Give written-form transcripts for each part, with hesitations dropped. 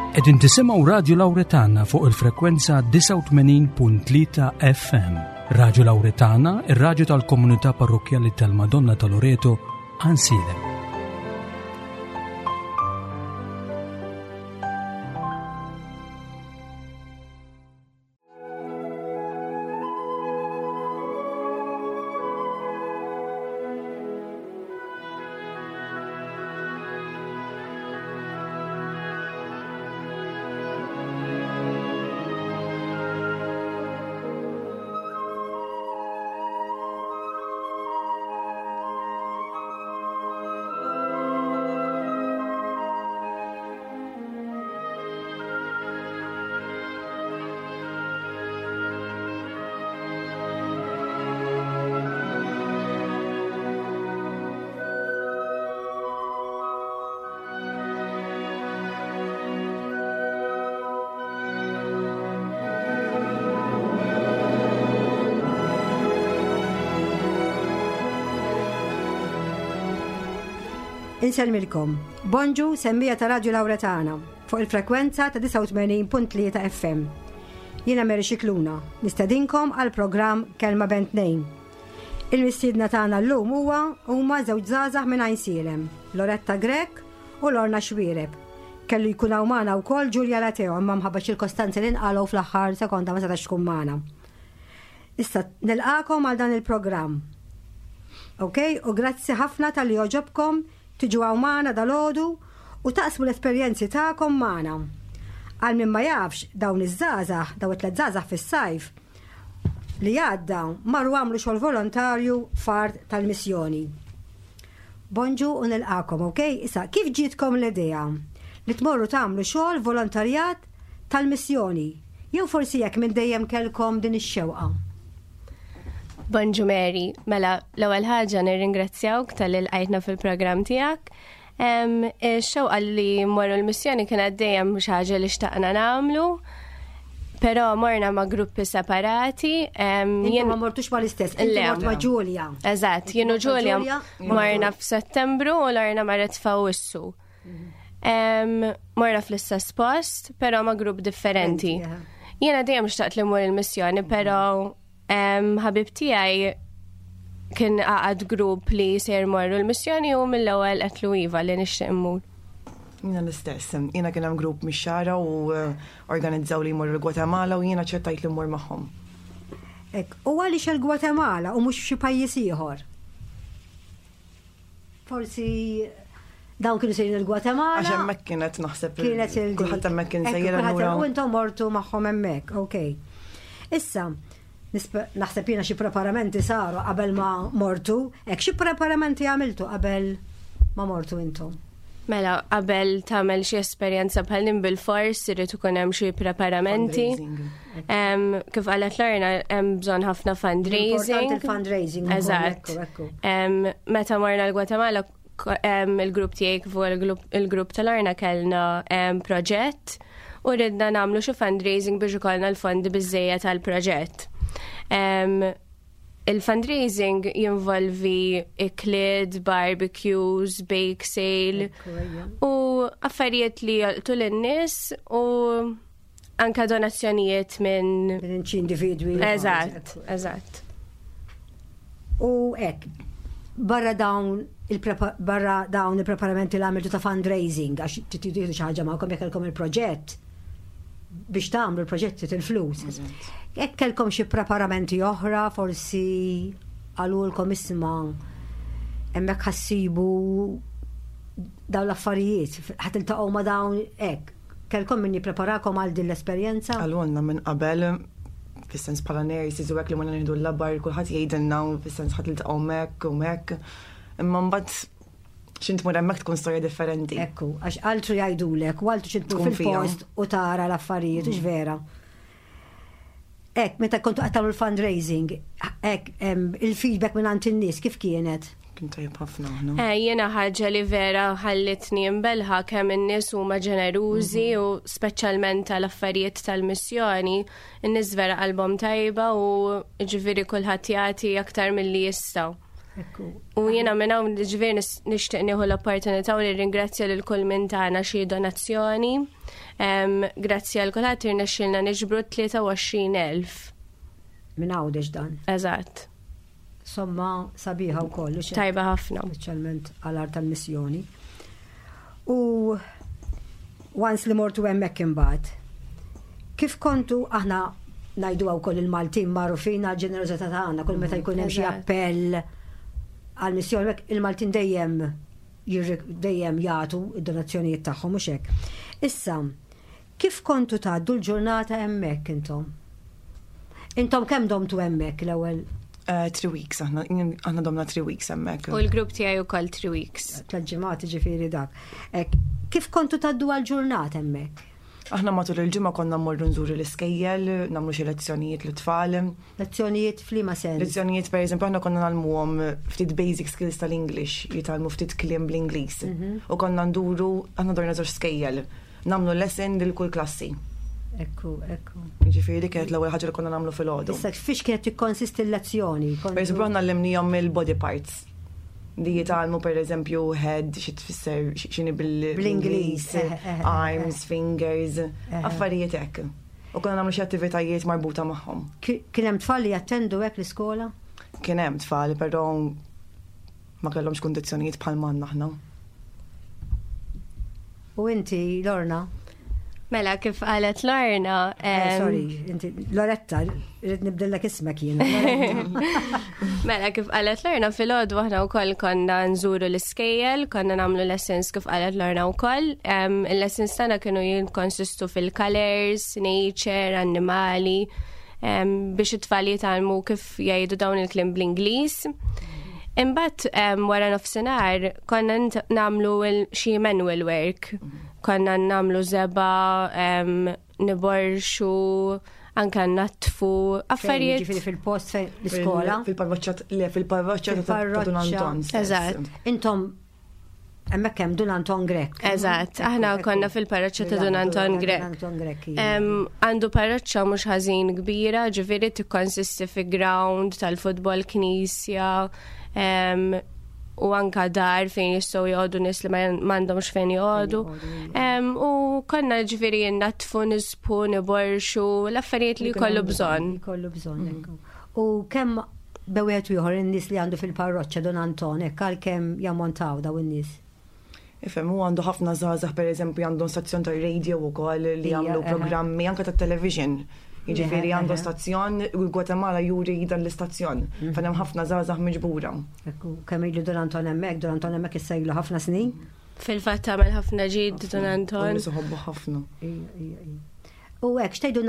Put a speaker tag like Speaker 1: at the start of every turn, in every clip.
Speaker 1: Qegħdin tisimgħu Radio Lauretana fuq il-frekwenza 89.3 FM. Radio Lauretana, ir-radju tal-komunità parrokkjali tal-Madonna ta' Loreto, Ansilem.
Speaker 2: Insellmilkom. Bonġu semmija ta' Radio Lauretana fuq il-frekwenza ta' 89.3 FM. Jiena Mary Xikluna, nistedinkom għal programm Kelma Bent Nejn. Il-mistiedna tagħna llum huwa huma żewġ żgħażagħ minn Għajnsielem, Loretta Grech u Lorna Xwiereb. Kellu jkun hawn magħna wkoll Giulia Lateo imma mħabba ċirkostanzi li nqalgħu fl-aħħar sekonda ma setax tkun magħna. Issa nilqakom għal dan il-programm. Ok, u grazzi ħafna tal-li joġobkom tiġu hawn magħna dalgħodu u taqsmu l-esperjenzi tagħkom magħna. Għal min ma jafx dawn iż-żgħażagħ, dawn it-tliet żgħażagħ fis-sajf li għadda marru għamlu xogħol volontarju f'art tal-missjoni. Bonġu u nilqakom, ok? Issa, kif ġietkom l-idea li tmorru tagħmlu xogħol volontarjat tal-missjoni? Jew forsi jekk minn dejjem kellkom din ix-xewqa?
Speaker 3: Bonġu Mary, mela l-ewwel ħaġa nirringrazzjawk tal-li lqajtna fil-programm tiegħek. Ix-xewqa li mmorru l-missjoni kienet dejjem xi ħaġa li xtaqna nagħmlu. Però morna ma' gruppi separati.
Speaker 2: Jien ma mortux ma' l-istess, inti mort ma' Giulia.
Speaker 3: Eżatt, jien u Giulia morna f'Settembru u Lorna marret f'Awwissu. Mhm. Morna fl-istess post, però ma' grupp differenti. Jiena dejjem xtaqt li mmur il-missjoni, però Ħabib tiegħi kien għaqad grupp li ser morru l-missjoni u mill-ewwel qedlu iva li nixtieq immur.
Speaker 4: Jiena l-istess, jiena kien hemm grupp mix-xara u eh, organizzaw li jmorru l-Gwatemala u jiena ċertajt li mmur magħhom.
Speaker 2: Ek, u għaliex il-Gwatemala u mhux f'xi pajjiż ieħor? Forsi dawn kienu sejrin il-Gwatemala.
Speaker 4: Għax hemmhekk kienet naħseb.
Speaker 2: Kienet il
Speaker 4: Kulħadd hemmhekk kien sejjer allura.
Speaker 2: U intom mortu magħhom hemmhekk, ok. Issa, naħseb jiena xi preparamenti saru qabel ma mortu, hekk xi preparamenti għamiltu qabel ma mortu intom?
Speaker 3: Mela, qabel tagħmel xi esperjenza bħal din bil-fors irid ikun hemm xi preparamenti. Kif qalet Lorna hemm bżonn ħafna fundraising.
Speaker 2: Il-fundraising.
Speaker 3: Eżatt. Meta morna l-Gwatemala il-grupp tiegħi kif il-grupp ta' Lorna kellna proġett u ridna nagħmlu xi fundraising biex ikollna l-fondi biżejjed tal-proġett. Il-fundraising jinvolvi ikliet, barbecues, bake sale u affarijiet li jolqtu lin-nies u anka donazzjonijiet minn
Speaker 2: minn xi individwi.
Speaker 3: Eżatt, eżatt.
Speaker 2: U hekk, barra dawn barra dawn il-preparamenti li għamiltu ta' fundraising, għax titieħdu xi ħaġa magħkom jekk kellkom il-proġett, biex tagħmlu l-proġetti til-flus. Hekk kellkom xi preparamenti oħra, forsi qalulkom isma' hemmhekk ħassibu dawn l-affarijiet, ħa tiltaqgħu ma' dawn hekk. Kellkom min jippreparakom għal din l-esperjenza?
Speaker 4: Qalulna minn qabel, fis-sens bħala nurses u hekk li morna nieħdu l-labar, kulħadd jgħidilna fis-sens ħa tiltaqgħu m'hekk u m'hekk. Imma mbagħad x'int tmur hemmhekk tkun storja differenti.
Speaker 2: Ekku, għax altru jgħidulek, u altru x'int tmur fil-post u tara l-affarijiet, mm. vera. Ek, meta kontu qed tagħmlu l-fundraising, ek, il-feedback minn għand in-nies kif kienet?
Speaker 4: Kien tajjeb ħafna aħna.
Speaker 3: Eh, jiena ħaġa li vera ħallitni imbelħa kemm in-nies huma ġenerużi mhm. u speċjalment tal-affarijiet tal-missjoni, in-nies vera qalbhom tajba u ġifieri kulħadd jagħti aktar milli jistgħu. U jiena minn hawn ġifieri nixtieq nieħu l-opportunità u nirringrazzja lil kull min tagħna xi donazzjoni. Grazzi għal kulħadd irnexxielna niġbru 23,000.
Speaker 2: Minn Għawdex dan.
Speaker 3: Eżatt.
Speaker 2: Somma sabiħa wkoll.
Speaker 3: Tajba ħafna.
Speaker 2: Speċjalment għal art tal-missjoni. U once li mortu hemmhekk imbagħad, kif kontu aħna ngħidu wkoll il-Maltin magħrufin għal ġenerożità tagħna kull meta jkun hemm xi appell għal missjoni il-Maltin dejjem dejjem jagħtu id-donazzjonijiet tagħhom mhux hekk. Issa, kif kontu tgħaddu l-ġurnata hemmhekk intom? Intom kemm domtu hemmhekk l-ewwel?
Speaker 4: 3 weeks, aħna domna 3 weeks hemmhekk.
Speaker 3: U l-grupp tiegħi wkoll 3 weeks.
Speaker 2: Tliet ġimgħat ġifieri dak. Kif kontu tgħaddu għall-ġurnata hemmhekk?
Speaker 4: Aħna matul il-ġimgħa konna mmorru nżuru l-iskejjel, nagħmlu xi lezzjonijiet lit-tfal.
Speaker 2: Lezzjonijiet f'liema sens?
Speaker 4: Lezzjonijiet pereżempju aħna konna nagħlmuhom ftit basic skills tal-English, jitgħallmu ftit kliem bl-Ingliż. U konna nduru, aħna dorna żewġ skejjel, nagħmlu lesson lil kull klassi.
Speaker 2: Ekku, ekku.
Speaker 4: Jiġifieri dik kienet l-ewwel ħaġa li konna nagħmlu filgħodu.
Speaker 2: Issa fiex kienet tikkonsisti l-lezzjoni?
Speaker 4: Pereżempju aħna għallimnihom il-body parts. Li jitgħallmu pereżempju head, xi tfisser x'inhi bl-Ingliż, arms, fingers, affarijiet hekk. U konna nagħmlu xi attivitajiet marbuta magħhom.
Speaker 2: Kien hemm tfal li jattendu hekk l-iskola?
Speaker 4: Kien hemm tfal, però ma kellhomx kundizzjonijiet bħal m'għandna aħna.
Speaker 2: U inti, Lorna?
Speaker 3: Mela, kif qalet Lorna.
Speaker 2: Eh, sorry, inti, Loretta, rrid nibdillek ismek jien.
Speaker 3: Mela, kif qalet Lorna, fil-ħodu aħna wkoll konna nżuru l-iskejjel, konna nagħmlu lessons kif qalet Lorna wkoll. Il-lessons tagħna kienu jinkonsistu fil-colors, nature, annimali, biex it-tfal jitgħallmu kif jgħidu dawn il-kliem bl-Ingliż. Imbagħad wara nofsinhar konna nagħmlu xi manual work. Konna nagħmlu żebgħa, niborxu, anka natfu, affarijiet.
Speaker 2: Ġifieri fil-post fejn l-iskola.
Speaker 4: Fil-parroċċa, le, fil-parroċċa ta' Dun Anton.
Speaker 3: Eżatt.
Speaker 2: Intom hemmhekk hemm Dun Anton Grech.
Speaker 3: Eżatt, aħna konna fil-parroċċa ta' Dun Anton Grech.
Speaker 2: Anton Grech.
Speaker 3: Għandu parroċċa mhux ħażin kbira, ġifieri tikkonsisti fi ground tal-futbol, knisja, u anka dar fejn jistgħu joqogħdu nies li m'għandhomx fejn joqogħdu. U konna ġifieri natfu, nisbu, niborxu, l-affarijiet li jkollu bżonn.
Speaker 2: Jkollu bżonn, ekku. U kemm bewet ieħor in-nies li għandu fil-parroċċa Dun Anton, hekk għal kemm jammontaw daw in-nies?
Speaker 4: Ifhem, hu għandu ħafna żgħażagħ pereżempju għandhom stazzjon tar-radio wkoll li jagħmlu programmi anke tat-television. Jiġifieri għandu stazzjon u Guatemala juri dan l-istazzjon. Mhm. Fejn hemm ħafna żgħażagħ miġbura.
Speaker 2: Ekku, kemm ilu Don Anton hemmhekk, Don Anton hemmhekk issa ilu ħafna snin.
Speaker 3: Fil-fatt għamel ħafna ġid Don Anton.
Speaker 4: Nies iħobbu ħafna.
Speaker 2: U hekk x'tgħidu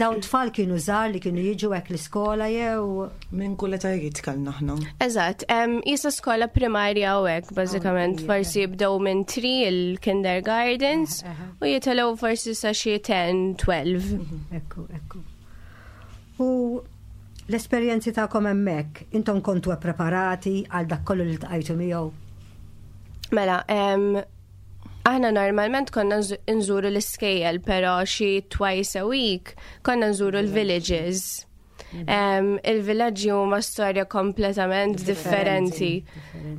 Speaker 2: dawn tfal kienu żgħar li kienu jiġu hekk l-iskola jew?
Speaker 4: Minn kull etajiet kellna aħna.
Speaker 3: Eżatt, jisa skola primarja u hekk bażikament forsi jibdew minn 3 il-kindergardens u jitilgħu forsi sa xi 10, 12.
Speaker 2: Mhm. Ekku, ekku. U l-esperjenzi tagħkom hemmhekk, intom kontu preparati għal dak kollu li tqajtu miegħu?
Speaker 3: Mela, Aħna normalment konna nżuru l-iskejjel, pero xi twice a week konna nżuru l-villages. Mhm. Il-villaġġi huma storja kompletament differenti.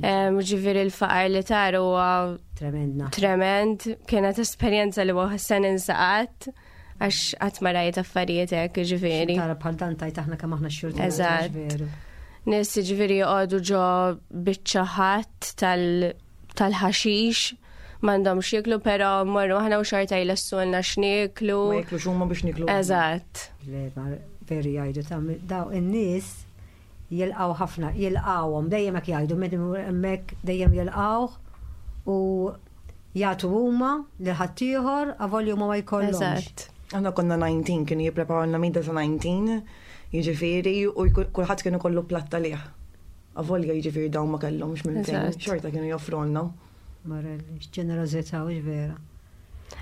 Speaker 3: Ġifieri l-faqar li tar huwa tremend. Kienet esperjenza li se ninsa qatt għax qatt ma rajt affarijiet hekk ġifieri.
Speaker 2: Tara bħal dan tajt aħna kemm aħna xurti.
Speaker 3: Eżatt. Nies ġifieri joqogħdu ġo biċċa ħadd tal- tal-ħaxix m'għandhomx jieklu però mmorru aħna u xorta jlessulna x'nieklu.
Speaker 4: Ma jiklux huma biex niklu.
Speaker 3: Eżatt.
Speaker 2: Le, veru jgħidu ta' daw in-nies jilqgħu ħafna, jilqgħuhom dejjem hekk jgħidu meta hemmhekk dejjem jilqgħuh u jagħtu huma lil ħaddieħor avolja huma ma jkollhomx.
Speaker 3: Eżatt.
Speaker 4: Aħna konna 19 kienu jippreparawlna mejda ta' 19, jiġifieri u kulħadd kien ikollu platt għalih. Avolja jiġifieri dawn ma kellhomx minn fejn, xorta kienu joffrulna.
Speaker 2: Marelli, x'ġenerożità hux vera.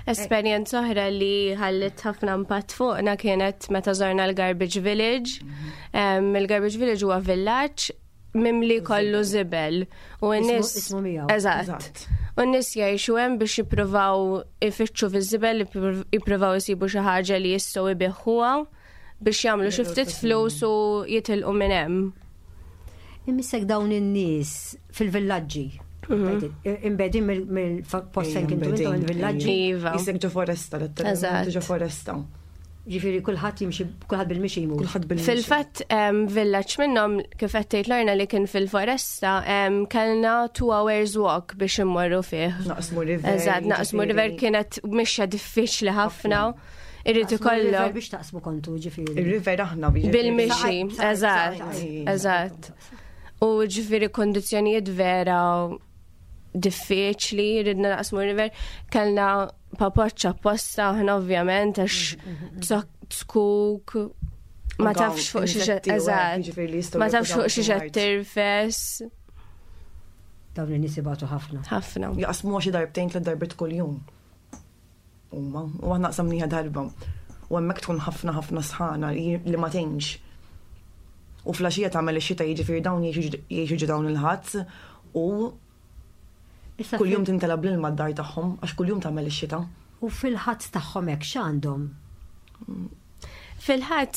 Speaker 3: Esperjenza oħra li ħallit ħafna impatt fuqna kienet meta żorna l-Garbage Village. Mhm. Il-Garbage Village huwa villaġġ mimli kollu żibel. U n-nies. Eżatt. U n-nies jgħixu hemm biex jippruvaw ifittxu fiż-żibel, jippruvaw isibu xi ħaġa li jistgħu ibiħħuha. biex jagħmlu xi ftit flus u jitilqu minn hemm.
Speaker 2: Imissek dawn in-nies fil-villaġġi. Imbegħdin mill-post fejn kintu intom il-villaġġi.
Speaker 3: Iva.
Speaker 4: Qisek ġo foresta, letteralment ġo foresta.
Speaker 2: Ġifieri kulħadd jimxi, kulħadd bil-mixi jmur.
Speaker 4: Kulħadd bil-mixi.
Speaker 3: Fil-fatt villaġġ minnhom kif qed tgħid Lorna li kien fil-foresta, kellna 2 hours walk biex immorru fih.
Speaker 4: Naqsmu river.
Speaker 3: Eżatt, naqsmu river kienet mixja diffiċli ħafna. Irrid ikollok.
Speaker 2: Biex taqsmu kontu ġifieri.
Speaker 4: Ir-river aħna biex.
Speaker 3: Bil-mixi, eżatt, eżatt. U ġifieri kondizzjonijiet vera diffiċli, ridna naqsmu river, kellna papoċċa apposta aħna ovvjament għax zkuk ma tafx fuq xi eżatt. Ma tafx fuq xi qed tirfes.
Speaker 2: Dawn in-nies ibatu ħafna.
Speaker 3: Ħafna.
Speaker 4: Jaqsmu xi darbtejn tliet darbiet kuljum. Huma, u aħna qsamniha darba. U hemmhekk tkun ħafna ħafna sħana li ma tgħinx. U flaxija tagħmel ix-xita jiġifieri dawn jgħixu ġo dawn il-ħadd u kuljum tintela bl-ilma d-dar tagħhom għax kuljum tagħmel ix-xita.
Speaker 2: U fil-ħadd tagħhom hekk x'għandhom?
Speaker 3: Fil-ħadd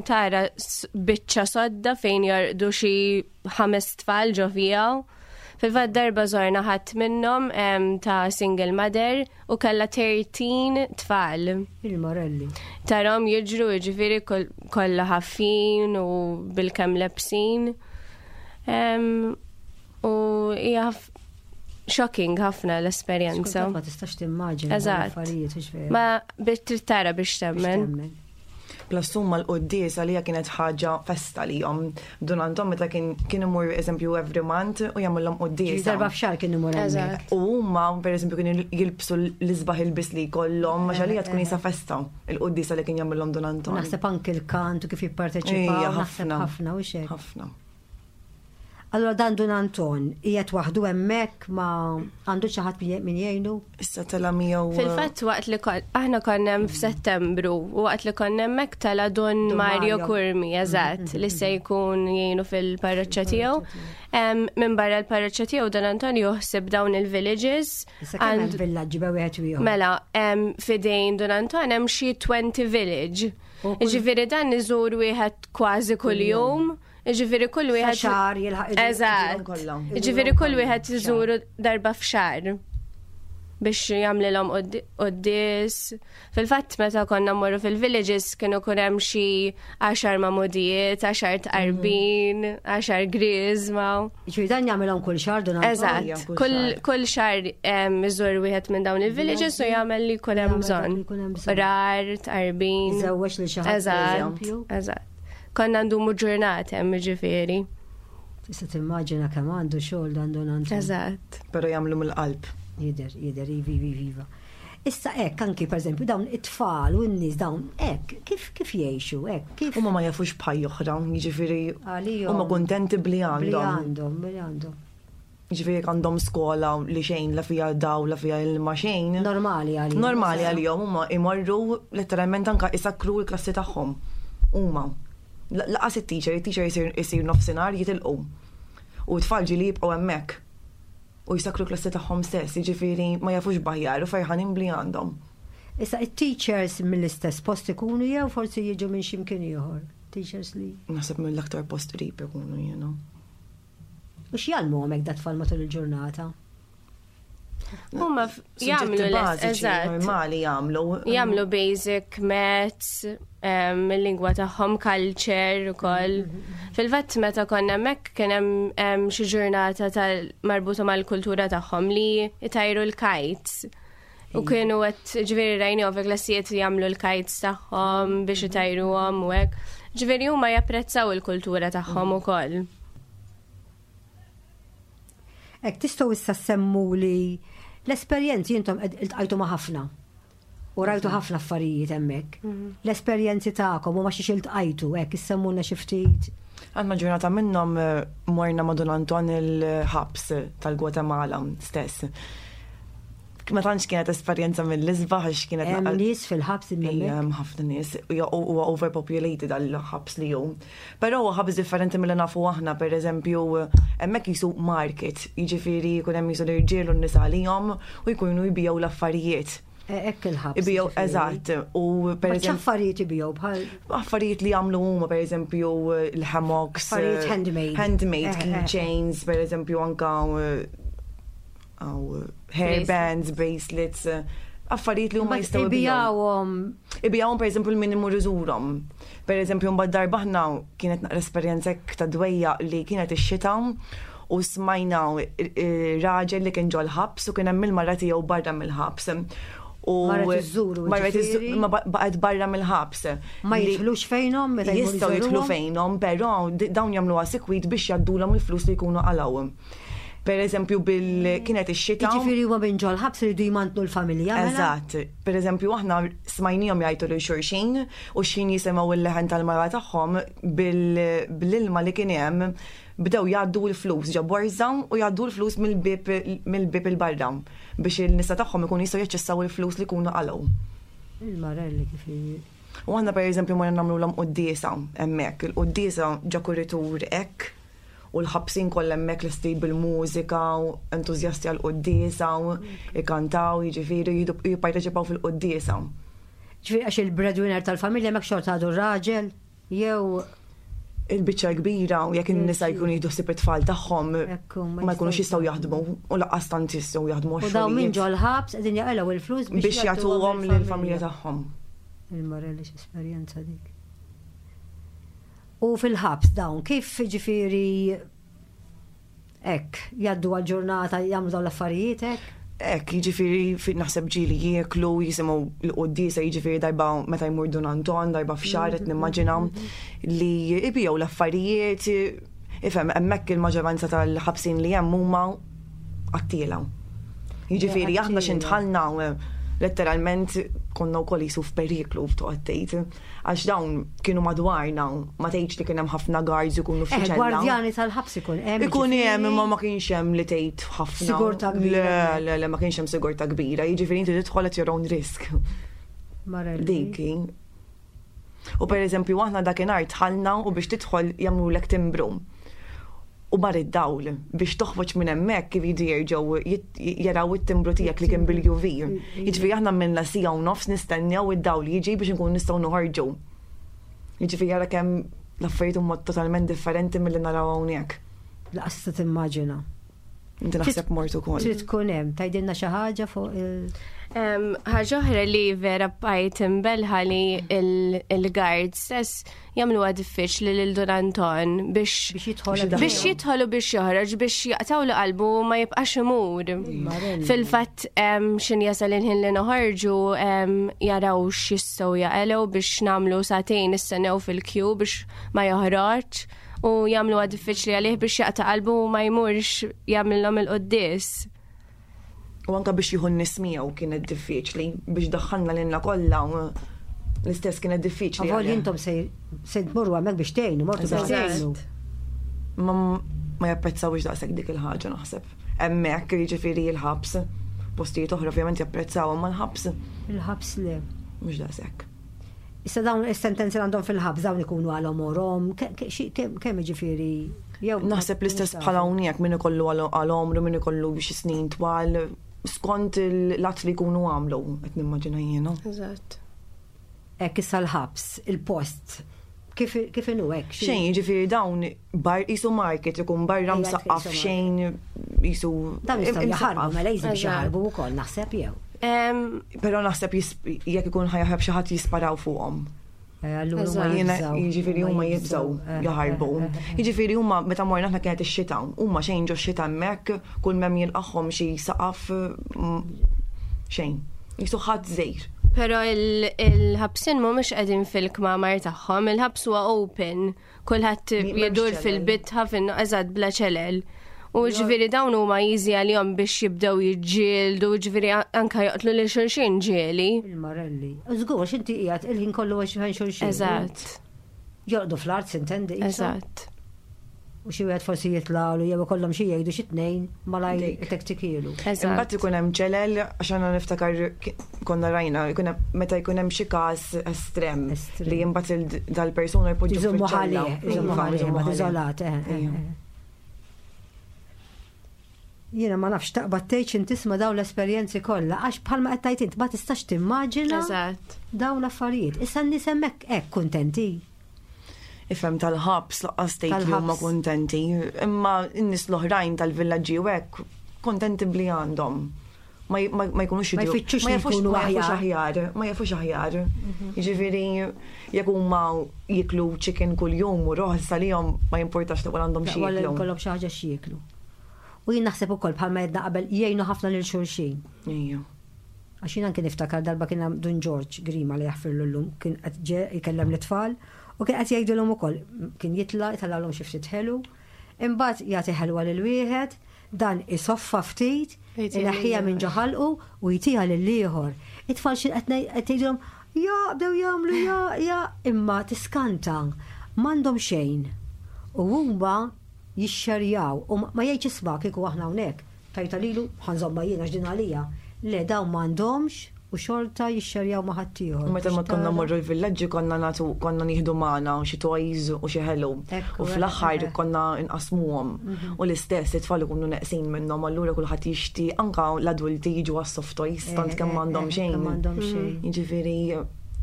Speaker 3: tara biċċa sodda fejn jorqdu xi ħames tfal ġo fiha. Fil-fatt darba żorna ħadd minnhom ta' single mother u kellha 13 tfal.
Speaker 2: Il-Morelli.
Speaker 3: Tarahom jiġru jiġifieri kollha ħaffin u bil-kemm lebsin. U hija shocking ħafna l-esperjenza.
Speaker 2: Ma tistax timmaġina.
Speaker 3: Eżatt. Ma biex trid tara biex temmen.
Speaker 4: Plus huma l-quddies għalija kienet ħaġa festa lihom. Dun Anton meta kien kien imur eżempju every month u jagħmilhom quddiesa.
Speaker 2: Darba f'xahar kien imur hemmhekk.
Speaker 4: U huma pereżempju kienu jilbsu l-isbaħ ilbies li jkollhom għax għalija tkun qisha festa il-quddiesa li kien jagħmilhom Dun Anton.
Speaker 2: Naħseb anki l-kant u kif jipparteċipaw. Naħseb ħafna u xejn.
Speaker 4: Ħafna.
Speaker 2: Allura dan Dun Anton qiegħed waħdu hemmhekk ma għandu xi ħadd min jgħinu?
Speaker 4: Issa tela' miegħu.
Speaker 3: Fil-fatt waqt li aħna konna hemm f'Settembru u waqt li konna hemmhekk tela' Dun Mario Curmi, eżatt, li se jkun jgħinu fil-parroċċa tiegħu. Minn barra l-parroċċa tiegħu Dun Anton joħsib dawn il-villages.
Speaker 2: Issa kemm hemm villaġġi bejn wieħed u ieħor?
Speaker 3: Mela, f'idejn Dun Anton hemm xi 20 village. Jiġifieri dan iżur wieħed kważi kuljum. Ġifieri kull wieħed.
Speaker 2: Xahar jilħaq.
Speaker 3: Eżatt. Ġifieri kull wieħed iżuru darba f'xahar biex jagħmlilhom quddies. Fil-fatt meta konna mmorru fil-villages kienu kun hemm xi għaxar magħmudijiet, għaxar tqarbin, għaxar griżma.
Speaker 2: Ġifieri dan jagħmilhom kull xahar dun
Speaker 3: Eżatt. Kull xahar iżur wieħed minn dawn il-villages u jagħmel li jkun hemm bżonn. Rar, tqarbin.
Speaker 2: Iżewweġ lil xi ħadd.
Speaker 3: Eżatt. Eżatt. Konna ndumu ġurnata hemm ġifieri.
Speaker 2: Tista' timmaġina kemm għandu xogħol dan Don Anton.
Speaker 3: Eżatt.
Speaker 4: Però jagħmlu mill-qalb.
Speaker 2: Jidher, jidher, ivi, ivi, iva. Issa hekk anki pereżempju dawn it-tfal u n-nies dawn hekk kif kif jgħixu hekk kif.
Speaker 4: Huma ma jafux b'ħajja oħra, jiġifieri huma kuntenti bli għandhom.
Speaker 2: Bli għandhom, bli għandhom.
Speaker 4: Ġifieri jekk għandhom skola li xejn la fiha dawl la fiha ilma xejn.
Speaker 2: Normali għalihom.
Speaker 4: Normali għalihom huma jmorru letteralment anke isakkru l-klassi tagħhom. Huma. Laqas it-teacher, it-teacher jsir nofsinhar jitilqu. U t-tfal ġieli jibqgħu hemmhekk. U jsakkru l-klassi tagħhom stess, jiġifieri ma jafux b'aħjar u ferħanin b'li għandhom.
Speaker 2: Issa it-teachers mill-istess post ikunu jew forsi jiġu minn xi mkien ieħor? Teachers li.
Speaker 4: Naħseb mill-aktar post qrib ikunu jiena.
Speaker 2: U x'jgħallmuhom hekk dat-tfal matul il-ġurnata?
Speaker 3: Huma jagħmlu
Speaker 4: eżatt. Normali jagħmlu.
Speaker 3: Jagħmlu basic maths, il-lingwa tagħhom culture ukoll. Fil-fatt meta konna hemmhekk kien hemm xi ġurnata tal marbuta mal-kultura tagħhom li jtajru l-kites. U kienu għet ġveri rajni fi klassijiet jagħmlu l-kites tagħhom biex itajruhom u hekk. Ġveri huma japprezzaw il-kultura tagħhom ukoll.
Speaker 2: Hekk tistgħu issa semmu li l-esperjenzi intom iltqajtu ma' ħafna. U rajtu ħafna affarijiet hemmhekk. Mhm. L-esperjenzi tagħkom u ma xiex iltqajtu hekk issemmulna xi ftit.
Speaker 4: Għandna ġurnata minnhom eh, morna ma' Don Anton il-ħabs tal-Gwatemala stess. Ma tantx kienet esperjenza mill-isbaħ għax kienet
Speaker 2: Hemm nies fil-ħabs
Speaker 4: Hemm ħafna nies huwa overpopulated għall-ħabs li hu. Però huwa ħabs differenti milli nafu aħna, pereżempju hemmhekk jisu market, jiġifieri jkun hemm jisu l-irġiel u n-nisa għalihom u jkunu jbigħu l-affarijiet.
Speaker 2: E, hekk il-ħabs.
Speaker 4: Ibijaw, eżatt. U
Speaker 2: per eżempju. Affarijiet ibijaw bħal.
Speaker 4: Affarijiet li jagħmlu huma per eżempju l-hammocks.
Speaker 2: Affarijiet handmade.
Speaker 4: Handmade eh, eh. keychains, per eżempju anka hairbands, bracelets, affarijiet li huma jistgħu
Speaker 2: ibijawhom.
Speaker 4: Ibijawhom per eżempju l-min imur iżurhom. Per eżempju mbagħad darba aħna kienet naqra esperjenza ta' dwejja li kienet ix-xita u smajna raġel li kien ġol-ħabs u kien hemm il-mara tiegħu barra mill-ħabs.
Speaker 2: U marret iżżuru.
Speaker 4: Marret iżżuru, ma baqgħet barra mill-ħabs.
Speaker 2: Ma jidħlux fejnhom
Speaker 4: meta jistgħu jidħlu fejnhom, però dawn jagħmluha sikwit biex jgħaddulhom il-flus li jkunu qalgħu. Per eżempju, bil kienet ix-xita.
Speaker 2: Jiġifieri huma minn ġol-ħabs iridu jmantnu l-familja.
Speaker 4: Mela? Eżatt. Per eżempju, aħna smajnihom jgħajtu lil xulxin u x'ħin jisimgħu l-leħen tal-mara tagħhom bil-ilma li kien hemm bdew jgħaddu l-flus ġo borża u jgħaddu l-flus mill-bieb mill-bieb 'il barra biex in-nisa tagħhom ikunu jistgħu jaċċessaw il-flus li jkunu qalgħu.
Speaker 2: Il-marelli kif
Speaker 4: U aħna pereżempju morna nagħmlulhom quddiesa hemmhekk. Il-quddiesa ġo kuritur hekk u l-ħabsin kollha hemmhekk lesti bil-mużika u entużjasti għall-quddiesa u ikantaw, jiġifieri jipparteċipaw fil-quddiesa.
Speaker 2: Ġifieri għax il-breadwinner tal-familja hemmhekk xorta għadu r-raġel? Jew
Speaker 4: il-biċċa l-kbira u jekk in-nisa jkunu jieħdu ħsieb it-tfal tagħhom ma jkunux jistgħu jaħdmu u lanqas tant jistgħu jaħdmu
Speaker 2: U dawn minn ġol-ħabs qegħdin jaqilgħu il-flus
Speaker 4: biex jagħtuhom lill-familja tagħhom.
Speaker 2: Il-Marelli x'esperjenza dik. U fil-ħabs dawn kif ġifieri Hekk, jgħaddu għall-ġurnata jagħmlu dawn l-affarijiet hekk?
Speaker 4: Hekk, jiġifieri naħseb ġieli jieklu, jisimgħu l-quddiesa, jiġifieri darba meta jmur Dun Anton, darba f'xahar qed nimmaġina li jbigħu l-affarijiet, ifhem hemmhekk il-maġġoranza tal-ħabsin li hemm huma qattiela. Jiġifieri aħna xi ndħalna letteralment konna wkoll qisu f'periklu toqgħod tgħid. Għax dawn kienu madwarna, ma tgħidx li kien hemm ħafna guards ikunu f'xi eh,
Speaker 2: ċella. Gwardjani tal-ħabs ikun
Speaker 4: hemm. Ikun hemm imma ma kienx hemm li tgħid ħafna.
Speaker 2: Sigurtà
Speaker 4: kbira. Le, le, le, ma kienx hemm sigurtà kbira. Jiġifieri inti tidħol at your own risk. Dik. U per eżempju aħna dakinhar dħalna u biex tidħol jagħmlulek timbru. U mar id-dawl biex toħroġ minn hemmhekk iridu jerġgħu jaraw it-timbru tiegħek li kien bil-UV. Jiġifieri aħna għamilna siegħa u nofs nistennew id-dawl jiġi biex inkunu nistgħu noħorġu. Jiġifieri ara kemm l-affarijiet huma totalment differenti milli naraw hawnhekk.
Speaker 2: Laqas tista' timmaġina.
Speaker 4: Inti naħseb mort ukoll.
Speaker 2: Trid tkun hemm, tgħidilna xi ħaġa fuq il.
Speaker 3: Ħaġa oħra li vera bqajt imbelħa li il-guard stess jagħmluha diffiċli lil Dun Anton biex biex jidħol u biex joħroġ biex jaqtaw li qalbu ma jibqax imur. Fil-fatt xin jasal il-ħin li noħorġu jaraw x'jistgħu jaqelgħu biex nagħmlu sagħtejn nistennew fil-kju biex ma joħroġ u jagħmluha diffiċli għalih biex jaqta' qalbu u ma jmurx jagħmilhom il-quddies.
Speaker 4: U anka biex jieħu n-nies miegħu kienet diffiċli biex daħħalna lilna kollha l-istess kienet diffiċli.
Speaker 2: Avolja intom se tmorru hemmhekk biex tgħinu, mortu biex tgħinu.
Speaker 4: Ma ma japprezzawx daqshekk dik il-ħaġa naħseb. Hemmhekk jiġifieri l-ħabs, postijiet oħra ovvjament japprezzaw imma l-ħabs.
Speaker 2: Il-ħabs le.
Speaker 4: Mhux daqshekk.
Speaker 2: Issa dawn is-sentenzi li għandhom fil-ħabs dawn ikunu għal għomorhom, kemm jiġifieri
Speaker 4: jew. Naħseb l-istess bħal hawnhekk min ikollu għal għomru, min ikollu xi snin twal, skont l-att li jkunu għamlu, qed nimmaġina jiena.
Speaker 3: Eżatt.
Speaker 2: Hekk issa l-ħabs, il-post, kif kif inhu hekk?
Speaker 4: Xejn, jiġifieri dawn bar qisu market ikun barra msaqqaf xejn qisu.
Speaker 2: Dawn jistgħu jaħarbu mela jżid biex jaħarbu wkoll naħseb jew.
Speaker 4: Però naħseb jekk ikun ħajaħrab xi ħadd jisparaw fuqhom.
Speaker 2: Eh,
Speaker 4: jiġifieri huma jibżgħu eh, jaħarbu. Eh, jiġifieri huma meta morna aħna kienet ix-xita, huma xejn ġo xita hemmhekk, kull m'hemm jilqagħhom xi saqaf mm, xejn. Jisu ħadd żejr.
Speaker 3: Però il-ħabsin mhumiex qegħdin fil-kmamar tagħhom, il-ħabs huwa open. Kulħadd jidur fil-bitħa fin eżatt bla ċelel. U ġifieri dawn huma easy għalihom biex jibdew jiġġieldu, ġifieri anka joqtlu lil xulxin ġieli.
Speaker 2: Il-marelli. Żgur, għax inti qiegħed il-ħin kollu għax fejn xulxin.
Speaker 3: Eżatt.
Speaker 2: Jorqdu fl-art sintendi.
Speaker 3: Eżatt.
Speaker 2: U xi wieħed forsi jitlagħlu jew ikollhom xi jgħidu xi tnejn malajr tektikielu.
Speaker 4: Imbagħad ikun hemm ċelel għax għandna niftakar konna rajna ikun hemm meta jkun hemm xi każ estrem li imbagħad dal-persuna
Speaker 2: jpoġġu fiċ-ċella. Iżommu ħalih, iżommu ħalih, iżolat. Eh, eh, eh. Jiena ma nafx taqbad tgħid x'int tisma' dawn l-esperjenzi kollha għax bħalma qed tgħid int ma tistax timmaġina dawn l-affarijiet. Issa n-nies hemmhekk hekk kuntenti.
Speaker 4: Ifhem tal-ħabs laqqas tgħid li huma kuntenti, imma n-nies l-oħrajn tal-villaġġi u hekk kuntenti bli għandhom. Ma jkunux
Speaker 2: ma jfittxux ma jafux
Speaker 4: aħjar, ma jafux aħjar. Mhm. Jiġifieri jekk huma jiklu chicken kuljum u roħ salihom ma jimpurtax li għandhom xi jieklu.
Speaker 2: Kollhom xi ħaġa xi jieklu. U jien naħseb ukoll bħalma jedna qabel jgħinu ħafna lil xulxin.
Speaker 4: Ija.
Speaker 2: Għax jien anke niftakar darba kien hemm Dun Ġorġ Grima li jaħfirlu llum kien qed ġe jkellem lit-tfal u kien qed jgħidilhom ukoll kien jitla' jtellgħalhom xi ftit ħelu, imbagħad jagħti ħelwa lil wieħed, dan isoffa ftit, ineħħiha minn ġo ħalqu u jtiha lill-ieħor. It-tfal xi qed ngħidilhom ja bdew jagħmlu ja ja imma tiskanta m'għandhom xejn. U huma jixxerjaw u ma jgħidx isma' kieku aħna hawnhekk tajtha lilu ħa nżommha jien għax din għalija. Le dawn m'għandhomx u xorta jixxerjaw ma' ħaddieħor.
Speaker 4: Meta ma konna mmorru l-villaġġi konna nagħtu konna nieħdu magħna xi toys u xi ħelu. U fl-aħħar konna nqasmuhom. Mhm. U l-istess it-tfal ikunu neqsin minnhom allura kulħadd jixti anka l-adulti jiġu għas-soft toys tant eh, kemm eh, m'għandhom eh, xejn.
Speaker 2: M'għandhom xejn.
Speaker 4: Jiġifieri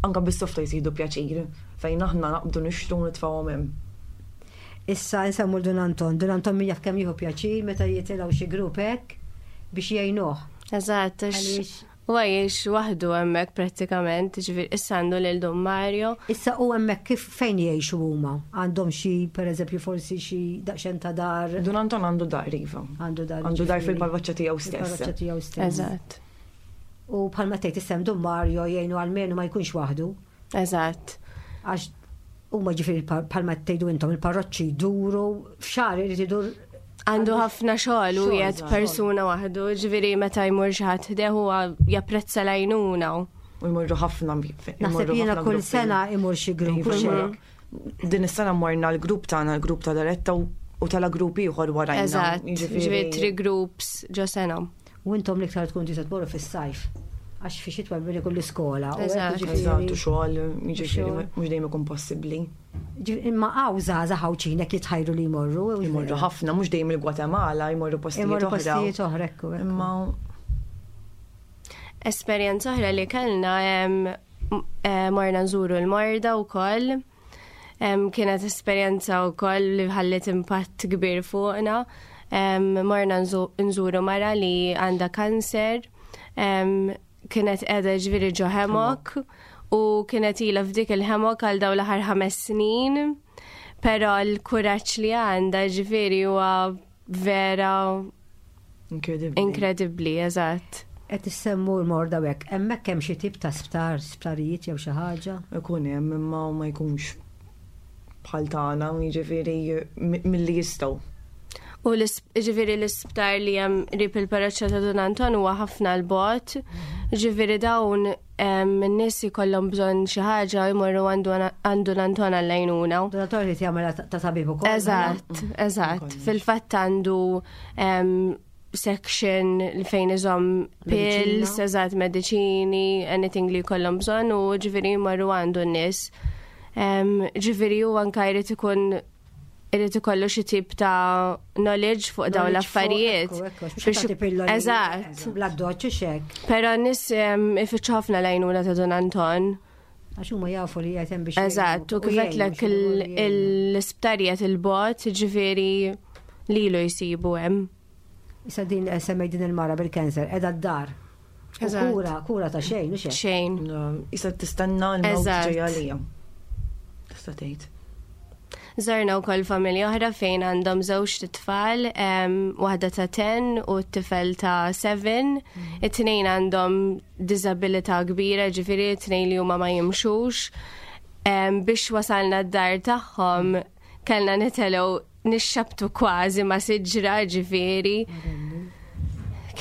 Speaker 4: anka bis-soft toys jieħdu pjaċir fejn aħna naqbdu nixtru nitfgħuhom hemm.
Speaker 2: Issa nsemmu l Dun Anton. Dun Anton min jaf kemm jieħu pjaċir meta jitilgħu xi grupp hekk biex jgħinuh.
Speaker 3: Eżatt, għaliex huwa jgħix waħdu hemmhekk prattikament, ġifieri issa għandu lil Dun Mario.
Speaker 2: Issa u hemmhekk kif fejn jgħixu huma? Għandhom xi pereżempju forsi xi daqsxejn ta' dar?
Speaker 4: Dun Anton għandu dar iva.
Speaker 2: Għandu dar.
Speaker 4: Għandu dar fil-parroċċa tiegħu stess.
Speaker 2: Fil-parroċċa tiegħu stess.
Speaker 3: Eżatt.
Speaker 2: U bħalma tgħid issem Dun Mario jgħinu almenu ma jkunx waħdu.
Speaker 3: Eżatt.
Speaker 2: Għax huma ġifieri bħalma tgħidu intom il-parroċċi jduru f'xahar irid idur
Speaker 3: għandu ħafna xogħol u qiegħed persuna waħdu, ġifieri meta jmur xi ħadd ħdejh huwa japprezza l-għajnuna.
Speaker 4: U jmorru ħafna.
Speaker 2: Naħseb jiena kull sena imur xi grupp.
Speaker 4: Iva, Din is-sena morna l-grupp tagħna, l-grupp ta' Daretta u tala grupp ieħor warajna.
Speaker 3: Eżatt, ġifieri tri groups ġo sena.
Speaker 2: U intom l-iktar tkun tista' tmorru fis-sajf. Għax fi xitwa billi kull iskola.
Speaker 3: Eżatt,
Speaker 4: u xogħol, jiġifieri mhux dejjem ikun possibbli.
Speaker 2: Imma hawn żgħażagħ Għawdxin hekk jitħajru li jmorru.
Speaker 4: Jmorru ħafna, mhux dejjem il-Gwatemala, jmorru postijiet oħra.
Speaker 2: Jmorru postijiet oħra, ekku.
Speaker 4: Imma
Speaker 3: Esperjenza oħra li kellna eh, morna nżuru l-morda wkoll. Kienet esperjenza wkoll li ħalliet impatt kbir fuqna. Morna nżuru mara li għandha kanser, kienet qiegħda ġifieri ġo hemok u kienet ilha f'dik il-hemok għal dawn l-aħħar ħames snin. Però l-kuraġġ li għandha ġifieri huwa vera
Speaker 4: Inkredibbli.
Speaker 3: Inkredibbli, eżatt.
Speaker 2: Qed issemmu l-morda u hekk. Hemmhekk hemm xi tip ta' sptar, sptarijiet jew xi ħaġa?
Speaker 4: Ikun hemm imma ma jkunx bħal tagħna, jiġifieri milli jistgħu.
Speaker 3: U ġifieri l-isptar li hemm qrib il-parroċċa ta' Dun Anton huwa ħafna 'l bogħod. Ġifieri dawn n-nies jkollhom bżonn xi ħaġa jmorru għandu Dun Anton għall-għajnuna.
Speaker 2: Dun Anton irid jagħmel ta' tabib ukoll.
Speaker 3: Eżatt, eżatt. Fil-fatt għandu section li fejn iżomm pills, eżatt mediċini, anything li jkollhom bżonn u ġifieri jmorru għandu n-nies. Ġifieri hu anke jrid ikun irid ikollu xi tip ta' knowledge fuq dawn l-affarijiet.
Speaker 2: Eżatt. Bla doċċ xek.
Speaker 3: Però nies ifittxu ħafna l-għajnuna ta' Don Anton.
Speaker 2: Għax huma jafu li qed hemm biex.
Speaker 3: Eżatt, u kif għedtlek l-isptarijiet il-bot, ġifieri lilu jsibu hemm.
Speaker 2: Issa din eh, semmej din il-mara bil-kanser, edha d-dar. Kura, kura ta' xejn, u
Speaker 3: xejn. Xejn.
Speaker 4: Issa tistenna l-mewt ġejja għalija. Tista' tgħid.
Speaker 3: Żorna wkoll familja oħra fejn għandhom żewġ tfal, waħda ta' 10 u t-tifel ta' 7. Mm. It-tnejn għandhom diżabilità kbira, ġifieri it-tnejn li huma ma jimxux. Biex wasalna d-dar tagħhom kellna nitelgħu nixxabtu kważi ma' siġra ġifieri.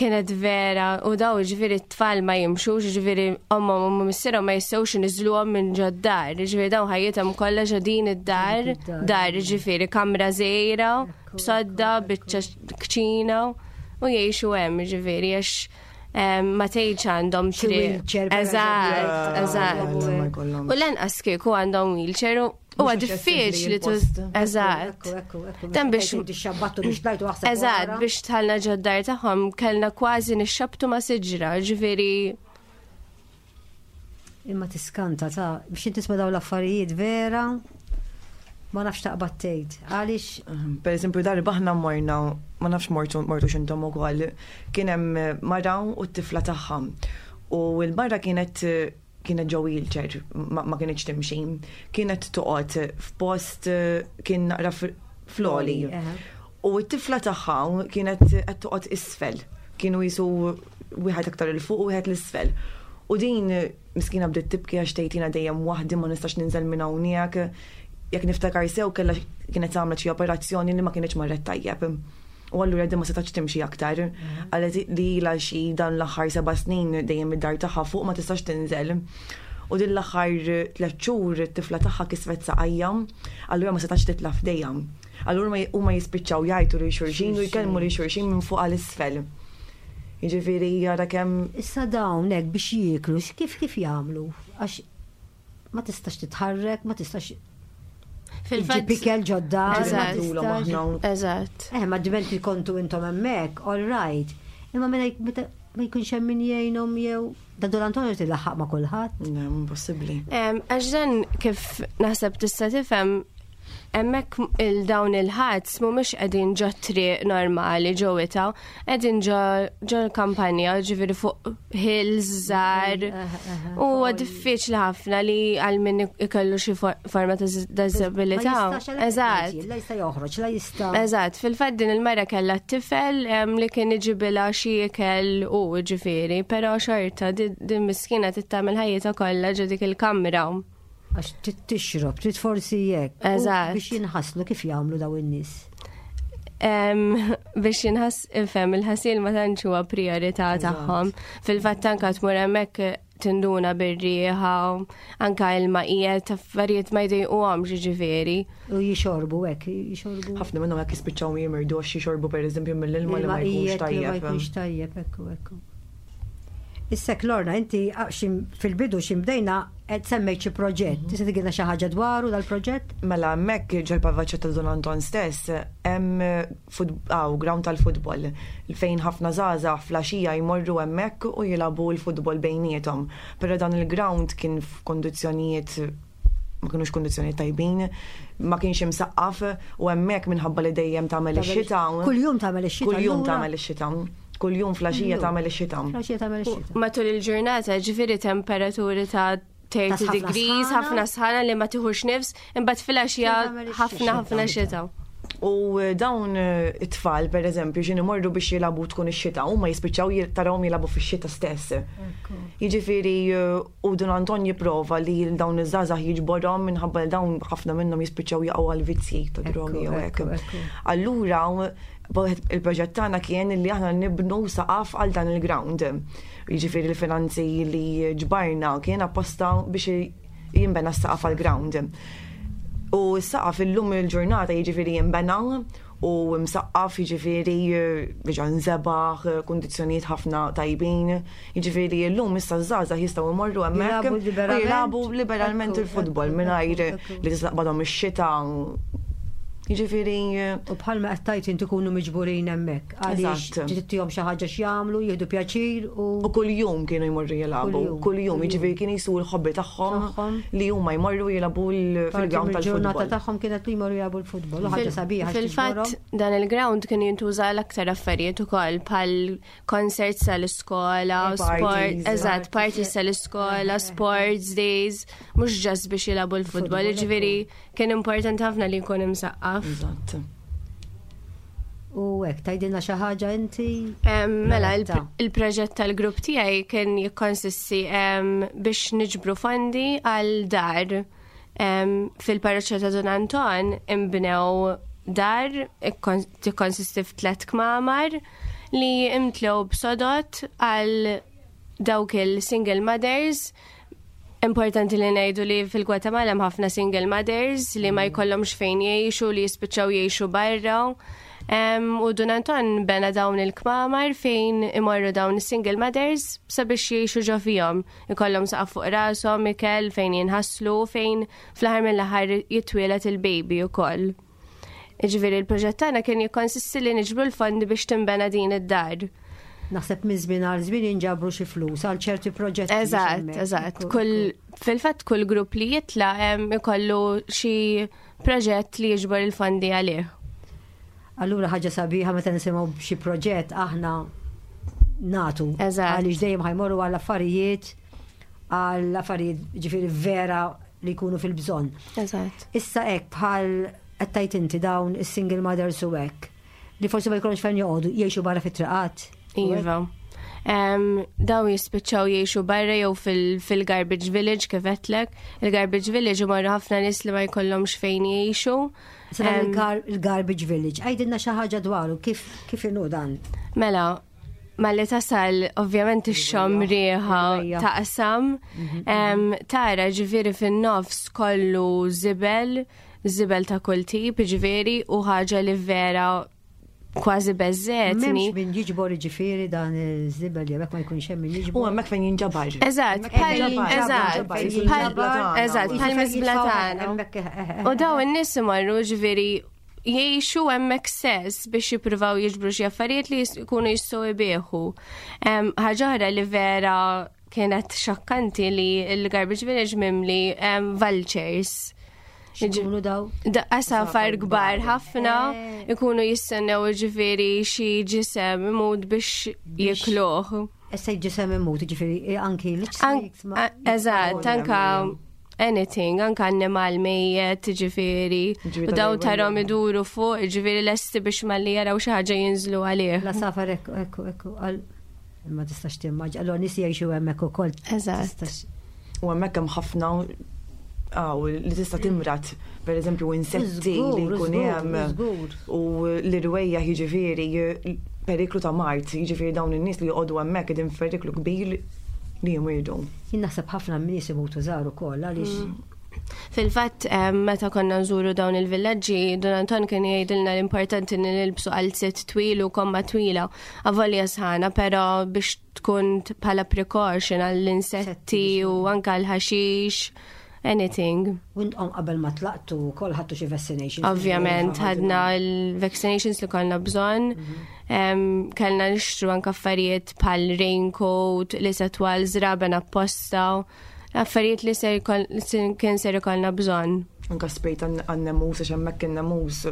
Speaker 3: Kienet vera, u daw ġifieri t-tfal ma jimxux, ġifieri ommhom u missierhom ma jistgħux iniżluhom minn ġod-dar, ġifieri dawn ħajjithom kollha ġo din id-dar, dar ġifieri kamra żgħira, b'sodda, biċċa kċina u jgħixu hemm ġifieri għax Ma tgħidx għandhom
Speaker 2: Xi wheelchair, per
Speaker 3: Eżatt,
Speaker 2: eżempju.
Speaker 3: eżatt.
Speaker 4: Ma jkollhomx.
Speaker 3: U lanqas kieku għandhom wheelchair u huwa
Speaker 4: Mhux aċċessibbli
Speaker 3: diffiċli tu.
Speaker 4: il-post.
Speaker 3: Eżatt.
Speaker 2: Ekku, ekku, ekku.
Speaker 3: Dan biex-
Speaker 2: Tixxabbattu biex tlajtu aħseb.
Speaker 3: Eżatt,
Speaker 2: wara.
Speaker 3: biex tħallna ġoddar tagħhom kellna kważi nixxabtu ma' siġra, ġifieri
Speaker 2: Imma tiskanta ta' biex inti tisma' dawn l-affarijiet vera ma nafx taqbad tgħid. Għaliex
Speaker 4: Per eżempju, darba aħna morna, ma nafx mortu mortu x'intom ukoll, kien hemm mara u t-tifla tagħha. U l-mara kienet kienet ġo wheelchair, ma, ma kienx timxi. Kienet toqgħod f'post eh, kien naqra fl-oli.
Speaker 2: Eħe.
Speaker 4: U t-tifla tagħha kienet qed toqgħod isfel. Kienu jisu wieħed aktar 'il fuq u wieħed l-isfel. U din miskina bdiet tibki għax tgħid jiena dejjem waħdi ma nistax ninżel minn hawnhekk. Jekk niftakar sew kellha kienet għamlet xi operazzjoni li ma kienx marret tajjeb. U allura din ma setax timxi aktar. Qalet li ilha xi dan l-aħħar seba' snin dejjem id-dar tagħha fuq ma tistax tinżel. U din l-aħħar tliet xhur it-tifla tagħha kisret saqajja, allura ma setax titla' f'dejja. Allura ma- huma jispiċċaw jgħajtu lil xulxin u jkellmu lil xulxin minn fuq għal isfel. Jiġifieri jara kemm
Speaker 2: issa dawn hekk biex jieklu kif kif jagħmlu? Għax ma tistax titħarrek, ma tistax
Speaker 3: fil-fatt.
Speaker 2: iġġib ikel ġodda. ma
Speaker 3: Eżatt.
Speaker 4: Ngħidulhom
Speaker 2: tistax-
Speaker 4: aħna
Speaker 3: Eżatt.
Speaker 2: Eh, ma diment li kontu intom hemmhekk, all right. Imma meta meta ma jkunx hemm min jgħinhom jew da Don Antonio tilaħħaq ma' kulħadd.
Speaker 4: Le, impossibbli.
Speaker 3: Għax dan kif naħseb tista' tifhem hemmhekk il-dawn il-ħads mhumiex qegħdin ġo triq normali ġo wita, qegħdin ġo ġo l-kampanja, ġifieri fuq hills żgħar. U huwa diffiċli ħafna li għal min ikollu xi forma ta' disabilità.
Speaker 2: Ma jistax għalhekk
Speaker 3: Eżatt.
Speaker 2: qed La jista' joħroġ, la jista'
Speaker 3: Eżatt, fil-fatt din il-mara kellha t-tifel li kien iġibilha xi ikel u ġifieri, però xorta din miskina tittamel ħajjitha kollha ġo dik il-kamra.
Speaker 2: Għax trid tixrob, trid forsi jekk. U
Speaker 3: Eżatt.
Speaker 2: Biex jinħaslu kif jagħmlu daw in-nies.
Speaker 3: Biex jinħas ifhem il-ħasil ma tantx huwa priorità tagħhom. Fil-fatt anka tmur hemmhekk tinduna bir-rieħa, anka ilma qiegħed affarijiet ma jdejquhomx ġifieri.
Speaker 2: U jixorbu hekk, jixorbu.
Speaker 4: Ħafna minnhom hekk jispiċċaw jimirdu għax jixorbu pereżempju mill-ilma li ma jkunx
Speaker 2: qiegħed li Ma
Speaker 4: tajjeb.
Speaker 2: jkunx tajjeb, ekku, ekku. Issa Lorna, inti ah, fil-bidu xim bdejna qed semmejt xi proġett. Tista' tgħidilna xi ħaġa dwaru dal-proġett?
Speaker 4: Mela hemmhekk ġol-parroċċa ta' Don Anton stess hemm ground tal-futbol fejn ħafna żgħażagħ flaxija jmorru hemmhekk u jilagħbu l-futbol bejniethom. Però dan il-ground kien f'kondizzjonijiet ma kienux kondizzjonijiet tajbin, ma kienx imsaqqaf u hemmhekk minħabba li dejjem tagħmel ix-xita.
Speaker 2: Kuljum tagħmel ix-xita.
Speaker 4: Kuljum
Speaker 2: allura?
Speaker 4: tagħmel ix-xita. Kuljum flaxija tagħmel ix-xita.
Speaker 2: Flaxija tagħmel ix-xita.
Speaker 3: Matul il-ġurnata ġifieri temperaturi ta' 30
Speaker 2: Ta' ħafna
Speaker 3: degrees,
Speaker 2: sħana.
Speaker 3: ħafna sħana li ma tiħux nifs, imbagħad filgħaxija
Speaker 2: Tagħmel ix-xita.
Speaker 3: ħafna ħafna xita.
Speaker 4: U eh, dawn eh, it-tfal, per eżempju, x'in imorru biex jilagħbu tkun ix-xita, huma jispiċċaw tarawhom jilagħbu fix-xita stess. Jiġifieri eh, u Don Anton jipprova li dawn iż-żgħażagħ jiġborhom minħabba li dawn ħafna minnhom jispiċċaw jaqgħu għal vizzji ta' drogi jew hekk.
Speaker 2: ekku, ekku.
Speaker 4: Allura il-proġett tagħna kien li aħna nibnu saqaf għal dan il-ground. Jiġifieri l-finanzi li ġbarna kien apposta biex jinbena s-saqaf għal ground. U s-saqaf illum il-ġurnata jiġifieri jinbena u msaqqaf jiġifieri diġà nżebaħ, kundizzjonijiet ħafna tajbin. Jiġifieri llum issa ż-żgħażagħ jistgħu jmorru hemmhekk
Speaker 2: Jilagħbu
Speaker 4: u
Speaker 2: liberament.
Speaker 4: jilagħbu liberalment
Speaker 2: Ekku,
Speaker 4: il-futbol
Speaker 2: ekku,
Speaker 4: mingħajr
Speaker 2: ekku, ekku.
Speaker 4: li tislaqbadhom ix-xita. Jiġifieri
Speaker 2: U bħalma qed tgħid inti kunu miġburin hemmhekk. Għaliex
Speaker 4: Eżatt.
Speaker 2: trid xi ħaġa x'jagħmlu, jieħdu pjaċir u
Speaker 4: U kull-jum kienu jmorru jilagħbu,
Speaker 2: Kuljum,
Speaker 4: kull-jum,
Speaker 2: kuljum.
Speaker 4: jiġifieri kien jisu l-hobby tagħhom
Speaker 2: Tagħhom.
Speaker 4: li huma jmorru jilagħbu
Speaker 2: parti
Speaker 4: fil-ground
Speaker 2: mill-ġurnata
Speaker 4: tal-futbol.
Speaker 2: tagħhom kienet li jmorru jilagħbu l-futbol. U ħaġa sabiħa għax
Speaker 3: Fil-fatt
Speaker 2: tiġborhom.
Speaker 3: dan il-ground kien jintuża l-aktar affarijiet ukoll bħal concerts tal-iskola,
Speaker 4: Eh,
Speaker 3: sport,
Speaker 4: parties.
Speaker 3: eżatt, parties tal-iskola, sports days, mhux ġast biex jilagħbu l-futbol,
Speaker 2: Futbol,
Speaker 3: jiġifieri kien importanti ħafna li jkun imsaqqaf.
Speaker 4: Eżatt.
Speaker 2: U hekk tgħidilna xi ħaġa inti.
Speaker 3: Mela,
Speaker 2: Loretta.
Speaker 3: il-proġett tal-grupp tiegħi kien jikkonsisti biex niġbru fondi għal dar. Fil-parroċċa ta' Don Anton imbnew dar tikkonsisti f'tlet kmamar li imtlew b'sodot għal dawk il-single mothers. Importanti li ngħidu li fil-Gwatemala hemm ħafna single mothers li ma jkollhomx fejn jgħixu li jispiċċaw jgħixu barra. U Dun Anton bena dawn il-kmamar fejn imorru dawn is-single mothers sabiex jgħixu ġo fihom. Ikollhom saqaf fuq rashom, ikel fejn jinħaslu, fejn fl-aħħar mill-aħħar jitwieled il-baby ukoll. Jiġifieri l-proġett tagħna kien jikkonsisti li niġbru l-fondi biex tinbena din id-dar.
Speaker 2: Naħseb minn żmien għal żmien jinġabru xi flus għal ċerti proġetti.
Speaker 3: Eżatt, eżatt. Kull fil-fatt kull grupp li jitla' ikollu xi proġett li jiġbor il-fondi għalih.
Speaker 2: Allura ħaġa sabiħa meta nisimgħu b'xi proġett aħna natu.
Speaker 3: Eżatt.
Speaker 2: Għaliex dejjem ħajmorru għal affarijiet għal affarijiet ġifieri vera li jkunu fil-bżonn.
Speaker 3: Eżatt.
Speaker 2: Issa hekk bħal qed tgħid inti dawn is-single mothers u hekk li forsi ma jkollhomx fejn joqogħdu jgħixu barra fit-triqat.
Speaker 3: Iva. Dawn jispiċċaw jgħixu barra jew fil-garbage village kif għedtlek. Il-garbage village imorru ħafna nies li ma jkollhomx fejn jgħixu.
Speaker 2: Il-garbage village, għidilna xi ħaġa dwaru kif kif inhu dan?
Speaker 3: Mela, malli tasal ovvjament ixxomm riħa taqsam, mhm. tara ġifieri fin-nofs kollu żibel, żibel ta' kull tip, ġifieri u ħaġa li vera kważi beżżetni.
Speaker 2: M'hemmx min jiġbor jiġifieri dan iż-żibel jew hekk ma jkunx hemm min jiġbor.
Speaker 4: U hemmhekk fejn jinġabar.
Speaker 3: Eżatt, eżatt, eżatt, bħal miżbla tagħna. U daw in-nies imorru ġifieri jgħixu hemmhekk stess biex jippruvaw jiġbru xi affarijiet li jkunu jistgħu jbieħu. Ħaġa oħra li vera kienet xokkanti li l-garbage village mimli vultures.
Speaker 2: X'ikunu daw?
Speaker 3: Għasafar kbar ħafna, eh. ikunu jistennew ġifieri xi ġisem imut biex jikluh.
Speaker 2: Issa ġisem imut, ġifieri eh, anki
Speaker 3: l Eżatt, anka anything, anka annimal mejjet, ġifieri. U daw tarom iduru fuq, ġifieri lesti biex malli jaraw xi ħaġa jinżlu għalih.
Speaker 2: La safar ekku, ekku, ekku, Ma tistax timmaġ, allora nies jgħixu hemmhekk ukoll.
Speaker 3: Eżatt.
Speaker 4: U hemmhekk hemm ħafna għaw li tista' timrat, per eżempju, insetti li jkun hemm u l-irwejja jiġifieri periklu ta' mart, jiġifieri dawn in-nies li joqogħdu hemmhekk qegħdin f'periklu kbir li jmirdu.
Speaker 2: Jien naħseb ħafna nies imutu żgħar ukoll għaliex mm.
Speaker 3: Fil-fatt, meta konna nżuru dawn il-villaġġi, Don Anton kien jgħidilna l-importanti li nilbsu qalziet twil u komma twila, avolja sħana, però biex tkun bħala precaution għall-insetti u anka l-ħaxix, anything.
Speaker 2: U intqom qabel ma tlaqtu wkoll ħadtu xi vaccinations?
Speaker 3: Ovvjament, ħadna l-vaccinations li konna bżonn. Mhm. Kellna nixtru anka affarijiet bħal raincoat, li se twal żraben apposta. Affarijiet li ser kien ser ikollna bżonn.
Speaker 4: Anka spray tan-nemus għax hemmhekk in-nemus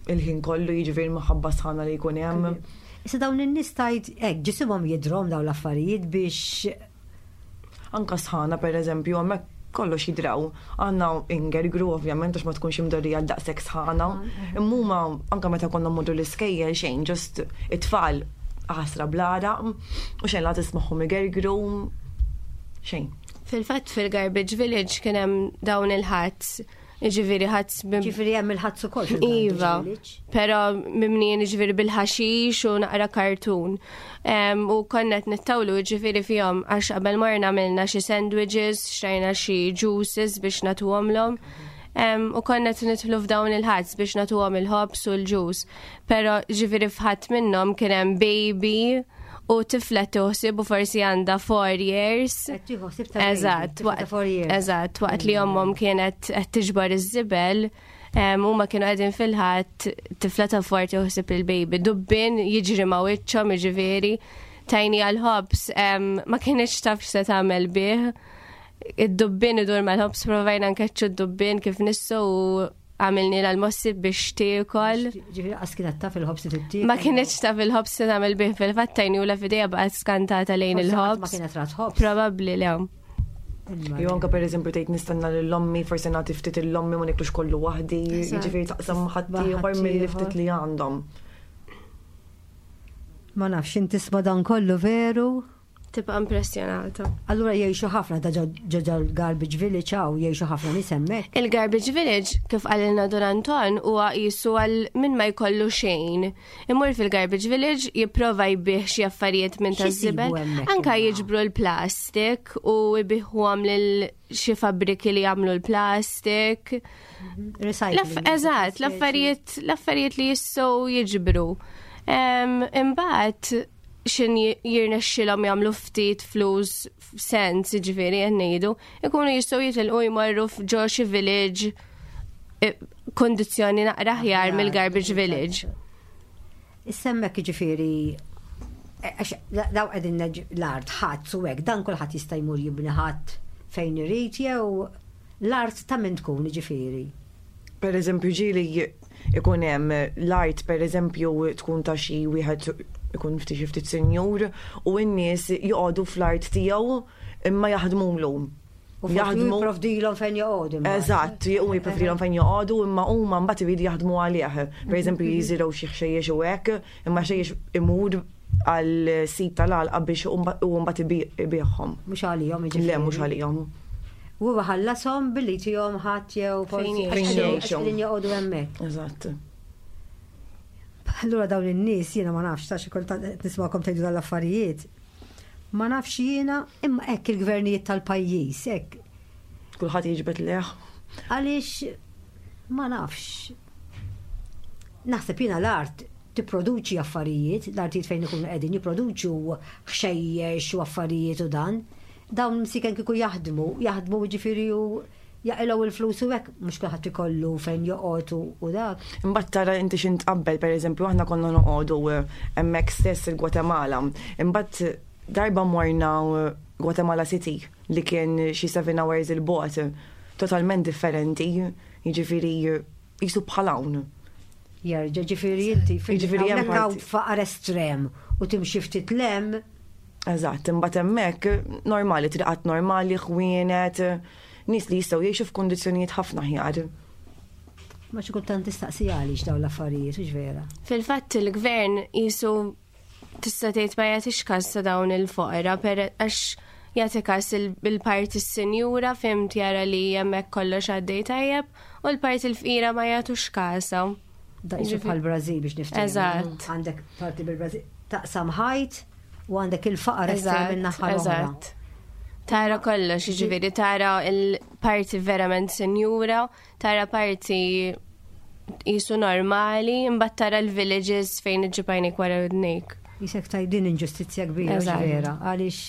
Speaker 4: il-ħin kollu jiġifieri minħabba sħana li jkun hemm.
Speaker 2: Issa dawn in-nies tgħid hekk ġisimhom jidhrom dawn l-affarijiet biex
Speaker 4: Anka sħana pereżempju hemmhekk kollox jidraw. Għandna ingergru ovvjament għax ma tkunx imdorrija għal daqshekk sħana. Imma huma anka meta konna mmorru l-iskejjel xejn ġust it-tfal ħasra bl-għaraq u xejn la tismagħhom igergru xejn.
Speaker 3: Fil-fatt fil-Garbage Village kien hemm dawn il-ħads, jiġifieri ħads
Speaker 2: Ġifieri hemm il-ħads ukoll
Speaker 3: Iva, però mimnijin jiġifieri bil-ħaxix u naqra kartun. U konna qed nittawlu jiġifieri fihom għax qabel morna għamilna xi sandwiches, xtrajna xi juices biex nagħtuhomlhom. U konna qed nidħlu f'dawn il-ħads biex nagħtuhom il-ħobż u l-ġus. Pero ġifiri fħat minnom kien hemm baby u tifla tuħsib u forsi għandha 4 years.
Speaker 2: Eżatt,
Speaker 3: eżatt, waqt li ommhom kienet qed tiġbor iż-żibel, huma kienu qegħdin fil-ħadd tifla ta' forti uħsib il-baby. Dubbin jiġri ma' wiċċhom jiġifieri tajni għal-ħobs ma kienx taf x'se tagħmel bih. Id-dubbin idur mal-ħobs provajna nkeċċu d-dubbin kif nissu u għamilni l-mossi biex tiekol.
Speaker 2: Ġifieri qas kienet taf il-ħobs li tittiekol.
Speaker 3: Ma kienx taf il-ħobs li tagħmel bih fil-fatt tajni u la fidejha baqgħet skantata lejn il-ħobs.
Speaker 2: Ma kienet rat ħobs.
Speaker 3: Probabbli le.
Speaker 4: Jew anke pereżempju tgħid nistenna lil ommi forsi nagħti ftit lil ommi ma niklux kollu waħdi, jiġifieri taqsam ħaddieħor milli ftit li għandhom.
Speaker 2: Ma nafx inti tisma' dan kollu veru?
Speaker 3: Tibqa' impressjonata.
Speaker 2: Allura jgħixu ħafna da ġo garbage village hawn jgħixu ħafna nies hemmhekk.
Speaker 3: Il-garbage village kif qalilna Don Anton huwa qisu għal min ma jkollu xejn. Imur fil-garbage village jipprova jbih xi affarijiet minn taż-żibel. Anka jiġbru l-plastik u jbiħuhom lil xi fabbriki li jagħmlu l-plastik.
Speaker 2: Recycling.
Speaker 3: Eżatt, l-affarijiet l-affarijiet li jistgħu jiġbru. Imbagħad xin jirnexxilhom jagħmlu ftit flus sens, jiġifieri qed ngħidu, ikunu jistgħu jitilqu jmorru f'ġo xi village e, kondizzjoni naqra aħjar mill-garbage village.
Speaker 2: Issemmek jiġifieri e, għax daw qegħdin l-art ħadd u hekk dan kulħadd jista' jmur jibni ħadd fejn irid jew l-art ta' min tkun jiġifieri.
Speaker 4: Per eżempju ġieli ikun hemm l-art per eżempju tkun ta' xi wieħed ikun ftit xi ftit sinjur u n-nies joqogħdu fl-art tiegħu imma jaħdmulu.
Speaker 2: U jaħdmu jipprovdilhom fejn joqogħdu.
Speaker 4: Eżatt, u jipprovdilhom fejn joqogħdu imma huma mbagħad iridu jaħdmu għalih. Per eżempju jiżirgħu xi ħxejjex u hekk, imma ħxejjex imur għal sit tal-għalqa biex u mbagħad ibigħhom.
Speaker 2: Mhux għalihom jiġifieri.
Speaker 4: Le, mhux għalihom.
Speaker 2: U huwa ħallashom billi jtihom ħadd jew forsi għax qegħdin joqogħdu hemmhekk.
Speaker 4: Eżatt.
Speaker 2: Allura dawn in-nies jiena ma nafx ta' xi kultant qed nismagħkom tgħidu dawn l-affarijiet. Ma nafx jiena imma hekk il-gvernijiet tal-pajjiż hekk.
Speaker 4: Kulħadd jiġbed lejh.
Speaker 2: Għaliex ma nafx. Naħseb jiena l-art tipproduċi affarijiet, l-artijiet fejn ikunu qegħdin jipproduċu ħxejjex u affarijiet u dan. Dawn msiken kieku jaħdmu, jaħdmu jiġifieri u jaqilgħu l-flus u hekk, mhux kulħadd ikollu fejn joqgħod u dak.
Speaker 4: Imbagħad tara inti x'int tqabbel, pereżempju aħna konna noqogħdu hemmhekk stess il-Gwatemala. Imbagħad darba morna Guatemala City li kien xi 7 hours il-bogħod, totalment differenti, jiġifieri Jisu bħal hawn.
Speaker 2: Jerġa' ġifieri inti ġifieri hemm hawn faqar estrem u timxi ftit lem.
Speaker 4: Eżatt, imbagħad hemmhekk normali, triqat normali, ħwienet, nies li jistgħu jgħixu f'kundizzjonijiet ħafna aħjar.
Speaker 2: Ma xi kultant tistaqsi għaliex dawn l-affarijiet, hux vera?
Speaker 3: Fil-fatt il-gvern jisu tista' tgħid ma jagħtix każ ta' dawn il-foqra per għax jagħti każ il-parti s-sinjura fimt jara li hemmhekk kollox għaddej tajjeb u l-parti l-fqira ma jagħtux każha.
Speaker 2: Daqsu bħal Brażil biex niftehmu.
Speaker 3: Eżatt.
Speaker 2: Għandek parti bil-Brażil taqsam ħajt u għandek il-faqar estrem minn naħa
Speaker 3: Eżatt. Tara kollox, jiġifieri tara il-parti verament sinjura Tara parti jisu normali, imbagħad tara l-villages fejn iġġib għajnejk wara widnejk.
Speaker 2: Jisek taj din inġustizzja kbira vera, għaliex.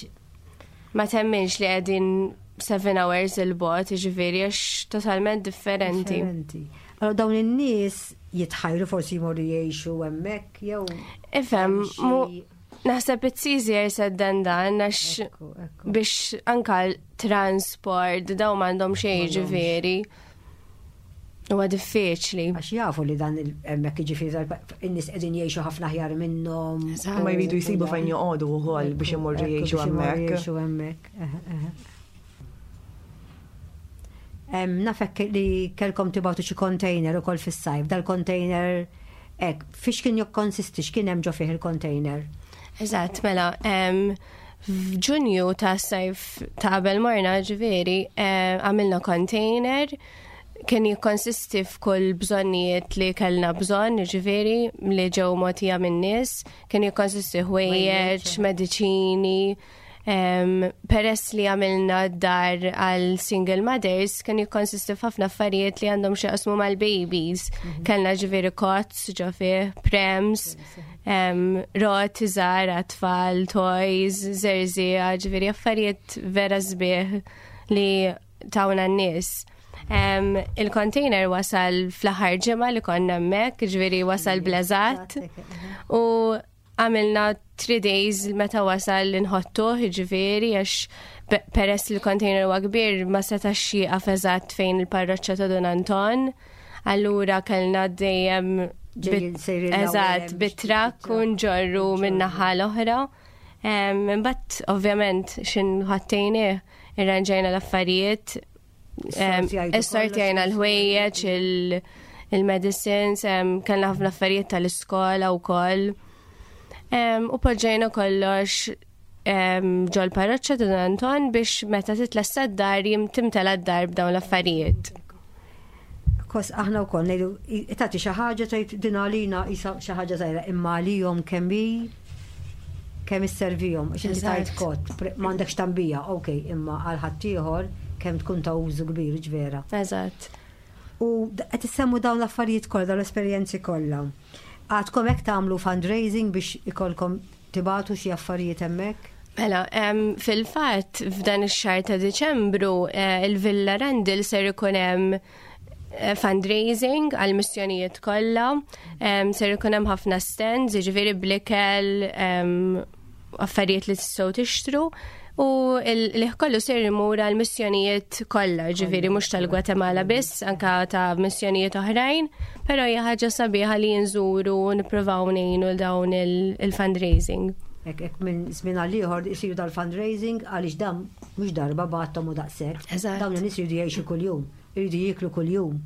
Speaker 3: Ma temminx li qegħdin 7 hours il-bot, ġifieri għax totalment differenti.
Speaker 2: Differenti. Allora dawn in-nies jitħajru forsi jmorru jgħixu hemmhekk jew.
Speaker 3: Ifhem, naħseb it's easier said than done għax biex anka transport, daw m'għandhom xejn ġifieri. Huwa diffiċli.
Speaker 2: Għax jafu li dan hemmhekk jiġifieri in-nies qegħdin jgħixu ħafna aħjar minnhom.
Speaker 4: Ma jridu jsibu fejn joqogħdu wkoll biex imorru jgħixu hemmhekk.
Speaker 2: Jgħixu hemmhekk. Nafek li kelkom tibgħatu xi container ukoll fis-sajf, dal-container hekk, fiex kien jikkonsisti, x'kien hemm ġo fih il-container?
Speaker 3: Eżatt, mela, F'Ġunju ta' sajf ta' qabel morna ġifieri eh, għamilna container kien jikkonsisti f'kull bżonnijiet li kellna bżonn, ġifieri li ġew mogħtija min-nies, kien jikkonsisti ħwejjeġ, mediċini, Peress li għamilna dar għal single mothers, kien jikkonsisti f'ħafna affarijiet li għandhom xi mal-babies. Mhm. Kellna ġifieri kots ġo fih, prems, roti żgħar għat-tfal, toys, żerżiegħa, ġifieri affarijiet vera sbieħ li tawna n-nies. Il-container wasal fl-aħħar ġimgħa li konna hemmhekk, ġifieri wasal bleżat. U għamilna 3 days meta wasal li nħottuh, ġifieri għax peress li l-container huwa kbir ma setax jieqaf eżatt fejn il-parroċċa ta' Dun Anton. Allura kellna dejjem eżatt bit-trakk u nġorru minn naħa l-oħra. Imbagħad ovvjament x'in ħattejnieh irranġajna l-affarijiet, Issortjajna l-ħwejjeġ, il-medicines, kellna ħafna affarijiet tal-iskola wkoll. U poġġejna kollox ġol parroċċa ta' Don Anton biex meta titlesta d-dar timtela d-dar b'dawn l-affarijiet.
Speaker 2: Kos aħna wkoll ngħidu tagħti xi ħaġa tgħid din għalina isa xi ħaġa żgħira imma għalihom kemm hi kemm isservihom għax inti tajt kott m'għandekx tambija, ok, imma għal ħaddieħor kemm tkun ta' użu kbir ġvera.
Speaker 3: Eżatt.
Speaker 2: U qed issemmu dawn l-affarijiet kollha, dawn l-esperjenzi kollha. Għadkom hekk tagħmlu fundraising biex ikolkom tibatu xi affarijiet hemmhekk?
Speaker 3: Mela, fil-fatt f'dan ix-xahar ta' Diċembru eh, il-Villa Randall ser ikun hemm eh, fundraising għal missjonijiet kollha, ser ikun hemm ħafna stands, jiġifieri blikel, affarijiet li tistgħu tixtru u l kollu ser imur għal missjonijiet kollha, ġifieri mhux tal-Gwatemala biss, anka ta' missjonijiet oħrajn, però hija ħaġa sabiħa li nżuru u nippruvaw ngħinu dawn il-fundraising.
Speaker 2: Ek, ek minn żmien għal ieħor isiru dal-fundraising għaliex dan mhux darba bagħathom u daqshekk. Dawn in-nies jridu jgħixu kuljum, jridu jieklu kuljum,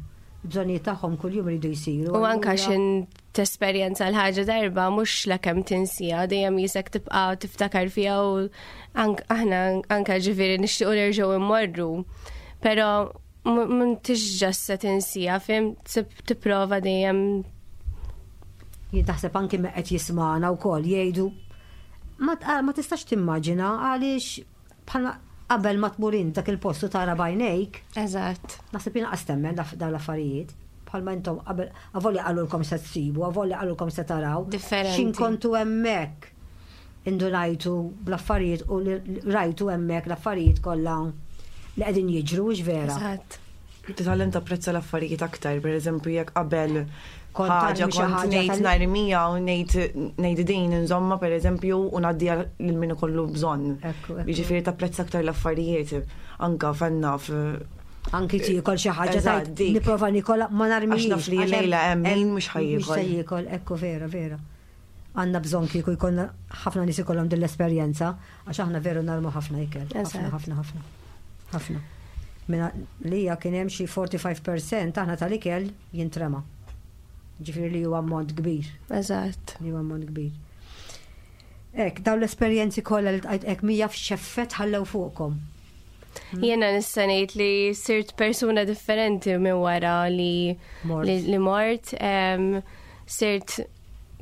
Speaker 2: bżonnijiet tagħhom kuljum jridu jsiru.
Speaker 3: U anka xin tesperjenza l-ħaġa darba mhux la kemm tinsija, dejjem jisek tibqa' tiftakar fiha u aħna anka ġifieri nixtiequ nerġgħu immorru. Però m'intix ġast se tinsija, fim tipprova dejjem.
Speaker 2: Jien taħseb anki me qed jismagħna wkoll jgħidu ma tistax timmaġina għaliex bħala qabel ma tmur int dak il-post u tara b'għajnejk.
Speaker 3: Eżatt.
Speaker 2: Naħseb jien qas temmen dawn l-affarijiet. Bħalma intom qabel avolja qalulkom se tsibu, avolja qalulkom se taraw.
Speaker 3: Differenti.
Speaker 2: X'in kontu hemmhekk indunajtu bl-affarijiet u rajtu hemmhekk l-affarijiet kollha li qegħdin jiġru, hux vera?
Speaker 3: Eżatt.
Speaker 4: Titgħallem tapprezza l-affarijiet aktar, per eżempju jekk qabel ħaġa kont ngħid narmija u ngħid ngħid din inżomma per eżempju u ngħaddiha lil min ikollu bżonn. Jiġifieri tapprezza aktar l-affarijiet anka fenna
Speaker 2: Anki tiekol xi ħaġa tajt nipprova nikola ma narmijiex.
Speaker 4: Għax naf li lejla hemm min mhux ħajjiekol.
Speaker 2: Mhux se jiekol, ekku vera, vera. Għandna bżonn kieku jkollna ħafna nies ikollhom din l-esperjenza għax aħna veru narmu ħafna ikel. Ħafna, ħafna, ħafna. Ħafna. Minna li hija kien hemm xi 45% aħna tal-ikel jintrema. Ġifieri li huwa ammont kbir.
Speaker 3: Eżatt.
Speaker 2: Li huwa ammont kbir. Ek, dawn l-esperjenzi kollha li tqajt hekk mija f'xeffet ħallew fuqkom.
Speaker 3: Jiena nista' ngħid li sirt persuna differenti minn wara li li mort. Sirt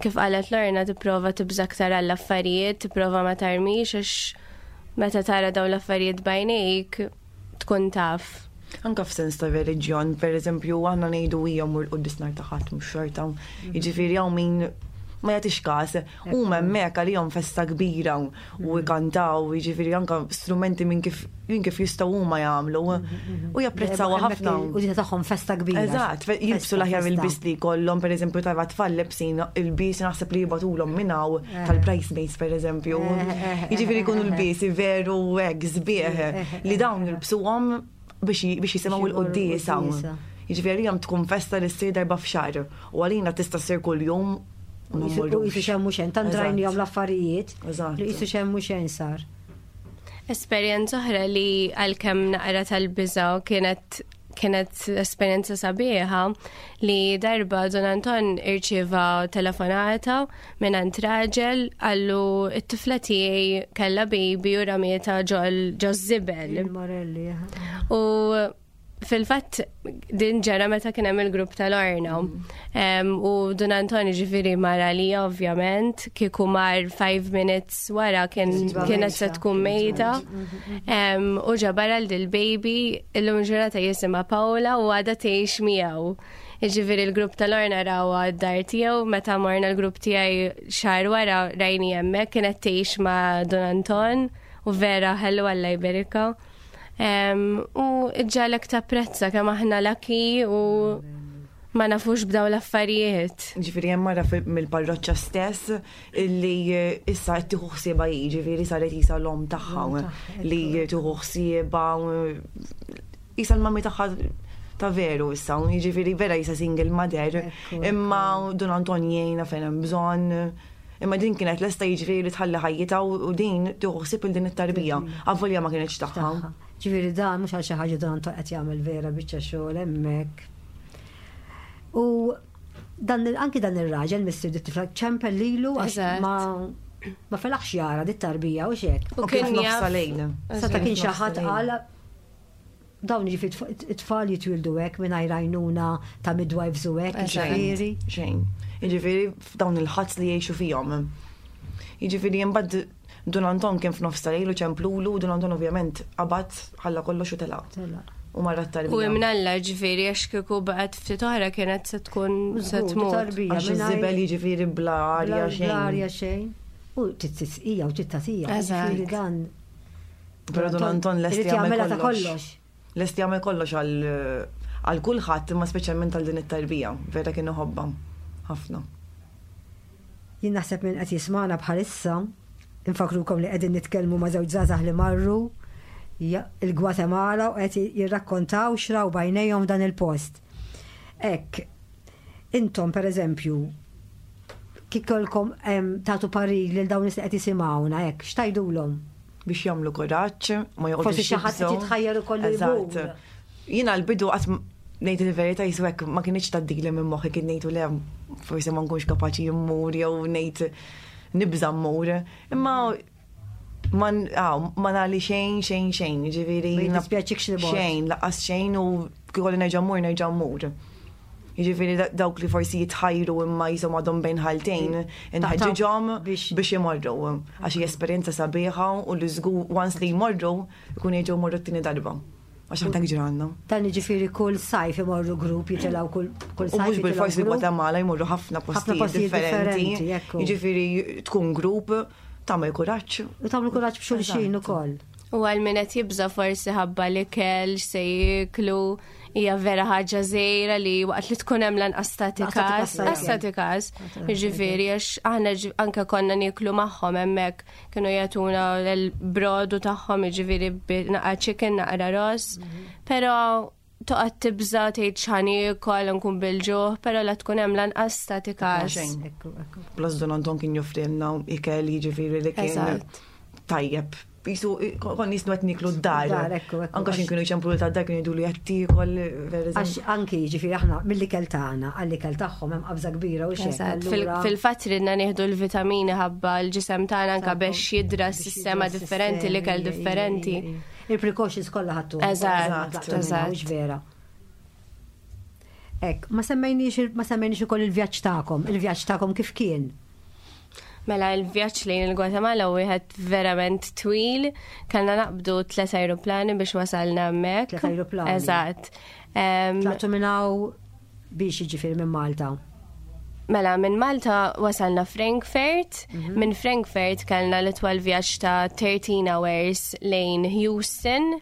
Speaker 3: kif qalet Lorna tipprova tibża aktar għall-affarijiet, tipprova ma tarmix għax meta tara dawn l-affarijiet bajnejk tkun taf.
Speaker 4: Anka f'sens ta' reliġjon, per eżempju, aħna ngħidu hija mur quddies nhar ta' ħadd mhux xorta. Mhm. Jiġifieri hawn min ma jagħtix każ, huma hemmhekk għalihom festa kbira u mhm. jkantaw, jiġifieri anka strumenti minn kif minn kif jistgħu huma jagħmlu u japprezzaw ħafna.
Speaker 2: U din tagħhom festa kbira.
Speaker 4: Eżatt, jilbsu l-aħjar il-bis li jkollhom, pereżempju tara tfal lebsin il-bis naħseb li jibatulhom minn hawn eh. tal-bridesmaids pereżempju. Eh, eh, jiġifieri jkunu l-bisi veru hekk sbieħ li dawn jilbsuhom biex jisimgħu l-quddiesa. Jiġifieri għalihom tkun festa li ssir darba f'xahar u għalina tista' ssir kuljum
Speaker 2: U jisu xemmu xejn, tant rajnihom l-affarijiet. Li jisu xemmu xejn sar.
Speaker 3: Esperjenza oħra li għalkemm naqra tal-biża' kienet kienet esperjenza sabiħa li darba Don Anton irċieva telefonata minn għand raġel għallu it-tifla tiegħi kellha baby u ramieta ġol ġo żibel.
Speaker 2: Il-Morelli.
Speaker 3: U fil-fatt din ġara meta kien hemm il-grupp tal-Orna. Mm. U Dun Antoni ġifieri mar għalija ovvjament, kieku mar 5 minutes wara kien kienet se tkun mejta. Mm-hmm. U ġabar għal dil-baby illum ġurnata jisimha Paola u għadha tgħix miegħu. Ġifieri l-grupp tal-Orna rawha d-dar tiegħu meta morna l-grupp tiegħi xahar wara rajni hemmhekk kienet tgħix ma' Dun Anton u vera ħellu Alla jberikha. U ġalek tapprezza kemm aħna laki u ma nafux b'daw l-affarijiet.
Speaker 4: Ġifieri hemm mara mill-parroċċa stess illi issa qed tieħu ħsiebha hi, ġifieri saret isa l-omm tagħha li tieħu ħsiebha isa l-mami tagħha ta' veru issa, jiġifieri vera isa single mother, imma Dun Anton jgħinha fejn hemm bżonn. Imma din kienet lesta jiġifieri li tħalli ħajjitha u din tieħu ħsieb il din it-tarbija, avolja ma kinitx tagħha.
Speaker 2: Ġifieri dan mhux għal xi ħaġa dan Anton qed jagħmel vera biċċa xogħol hemmhekk. U dan anki dan ir-raġel missier dit tifla ċempel lilu għax ma. ma felaħx jara dit tarbija u xek.
Speaker 3: U kien
Speaker 4: jaf.
Speaker 2: Seta kien xi ħadd qal dawn jiġifieri it-tfal jitwildu hekk mingħajr għajnuna ta' midwives u hekk, jiġifieri.
Speaker 4: Xejn. Jiġifieri f'dawn il-ħadd li jgħixu fihom. Jiġifieri imbagħad Dun Anton kien f'nofs ta' lejl u ċemplulu, Dun Anton ovvjament qabad ħalla kollox u telaq. U marra t-tarbija.
Speaker 3: U imnalla ġifieri għax kieku baqgħet ftit oħra kienet se tkun se tmut.
Speaker 4: Għax iż-żibel jiġifieri bla arja xejn.
Speaker 2: Bla arja xejn. U titsqija u tittatija. Ġifieri dan.
Speaker 4: Però Dun Anton lest
Speaker 2: jagħmel ta' kollox.
Speaker 4: Lest jagħmel kollox għal kulħadd imma speċjalment għal din it-tarbija. Vera kien iħobbha ħafna.
Speaker 2: Jien naħseb min qed jismagħna bħalissa, infakkrukom li qegħdin nitkellmu ma' żewġ żgħażagħ li marru il-Gwatemala u qed jirrakkontaw x'raw b'għajnejhom f'dan il-post. Hekk, intom pereżempju, kif kellkom tagħtu parir lil dawn nies li qed jisimgħuna hekk, x'tgħidulhom?
Speaker 4: Biex jagħmlu kuraġġ, ma joqgħodux.
Speaker 2: Forsi xi ħadd qed jitħajjar ukoll
Speaker 4: Eżatt. Jiena l-bidu qatt ngħid il-verità jisu hekk ma kinitx tgħaddili minn moħħi kien ngħidu le forsi ma nkunx kapaċi mmur jew ngħid nibża' mmur. Imma ma ma nagħli xejn xejn xejn, jiġifieri.
Speaker 2: Ma jiddispjaċikx li mort.
Speaker 4: Xejn, lanqas xejn u kieku nerġa' mmur nerġa' mmur. Jiġifieri dawk li forsi jitħajru imma jisom għadhom bejn ħaltejn, inħeġġiġhom biex imorru. Għax hija esperjenza sabiħa u li żgur once li jmorru jkunu jerġgħu jmorru t-tieni darba. Għax aħna ġranna.
Speaker 2: Dan jiġifieri kull sajf imorru grupp jitilgħu kull sajf.
Speaker 4: U mhux bil-fors il-Gwatemala jmorru ħafna postijiet differenti. Jiġifieri tkun grupp tagħmel kuraġġ.
Speaker 2: U tagħmlu kuraġġ b'xulxin ukoll.
Speaker 3: U għal min qed jibża' forsi ħabba l-ikel se jieklu hija vera ħaġa żgħira li waqt li tkun hemm lanqas tagħti każ, lanqas tagħti każ. Jiġifieri għax aħna anke konna nieklu magħhom hemmhekk kienu jagħtuna l-brodu tagħhom jiġifieri naqra chicken, naqra ross. Però toqgħod tibża' tgħid x'ħa niekol nkun bil-ġuħ, però la tkun hemm lanqas tagħti każ.
Speaker 4: Plus Don Anton kien joffrilna ikel jiġifieri li kien tajjeb. Jisu, kon jisnu qed niklu d-dar. Anka xin kienu jċemplu ta' dar kienu jgħidu li qed tiekol.
Speaker 2: Għax anki jiġifieri aħna mill-ikel tagħna għall-ikel tagħhom hemm qabża kbira u xejn.
Speaker 3: Fil-fatt ridna nieħdu l-vitamini ħabba l-ġisem tagħna anka biex jidra s-sistema differenti, l-ikel differenti.
Speaker 2: Il-precautions kollha ħadtu.
Speaker 3: Eżatt,
Speaker 2: eżatt. vera. Ek, ma semmejniex ma semmejniex ukoll il-vjaġġ tagħkom, il-vjaġġ tagħkom kif kien?
Speaker 3: Mela il-vjaġġ lejn il-Gwatemala wieħed verament twil, kellna naqbdu tliet ajruplani biex wasalna hemmhekk.
Speaker 2: Tliet ajruplani.
Speaker 3: Eżatt.
Speaker 2: Tlaqtu minn hawn biex jiġifieri minn Malta.
Speaker 3: Mela, minn Malta wasalna Frankfurt, mhm. minn Frankfurt kellna l-itwal vjaġġ ta' 13 hours lejn Houston,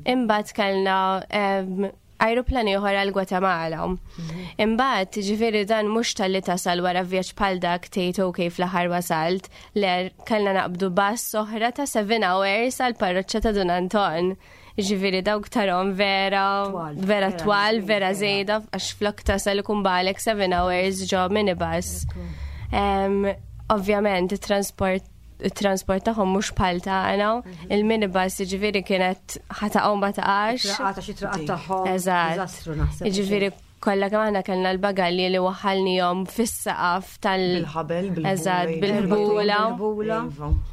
Speaker 3: imbagħad kellna ajruplan ieħor għal Gwatemala. Mhm. Imbagħad, ġifieri dan mhux talli tasal wara vjaġġ bħal dak tgħid ok fl-aħħar wasalt, le kellna naqbdu bass oħra ta' 7 hours għal parroċċa ta' Dun Anton. Ġifieri dawk tarhom vera, vera twal, vera żejda, għax flok tasal ikun balek 7 hours ġo minibus. Ovvjament, it-transport il-transport tagħhom mhux bħal tagħna, mhm. il-minibus jiġifieri kienet ħataqgħu ma taqax.
Speaker 2: Traqata xi traqat tagħhom.
Speaker 3: Eżatt. Jiġifieri kollha kemm aħna kellna l-bagalji li waħħalnihom fis-saqaf tal
Speaker 4: Bil-ħabel,
Speaker 3: bil Eżatt, bil-ħbula.
Speaker 2: Bil-ħbula.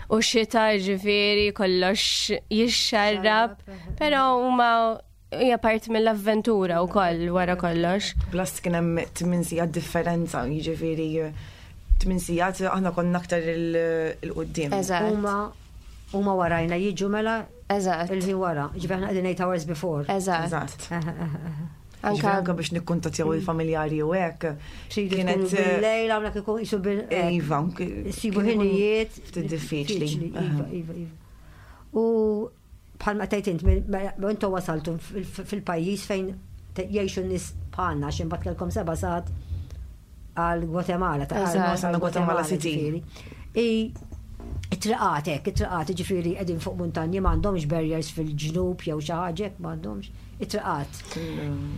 Speaker 3: U xita ġifieri kollox jixxarrab, però huma hija parti mill-avventura wkoll wara kollox.
Speaker 4: Plus kien hemm tmien sigħat differenza, jiġifieri tmien sigħat aħna konna aktar il-qudiem.
Speaker 3: Eżatt.
Speaker 2: Huma huma warajna jiġu mela
Speaker 3: Eżatt.
Speaker 2: Il-ħin wara, ġifieri aħna qegħdin 8 hours before.
Speaker 3: Eżatt.
Speaker 4: Eżatt. Anka anka biex nikkuntattjaw il-familjari u hekk.
Speaker 2: Kienet eh, bil-lejl hawnhekk ikun isu bil
Speaker 4: eh, Iva,
Speaker 2: sibu ħinijiet.
Speaker 4: Ftit diffiċli.
Speaker 2: Iva, iva, iva. U bħalma tgħid int, intom wasaltu fil-pajjiż fejn jgħixu n-nies bħalna għax imbagħad kellkom seba' sigħat għal Gwatemala
Speaker 4: ta' għal Gwatemala City.
Speaker 2: It-triqat hekk, it-triqat ġifieri qegħdin fuq muntanji m'għandhomx barriers fil-ġnub jew xi ħaġa hekk m'għandhomx it-triqat.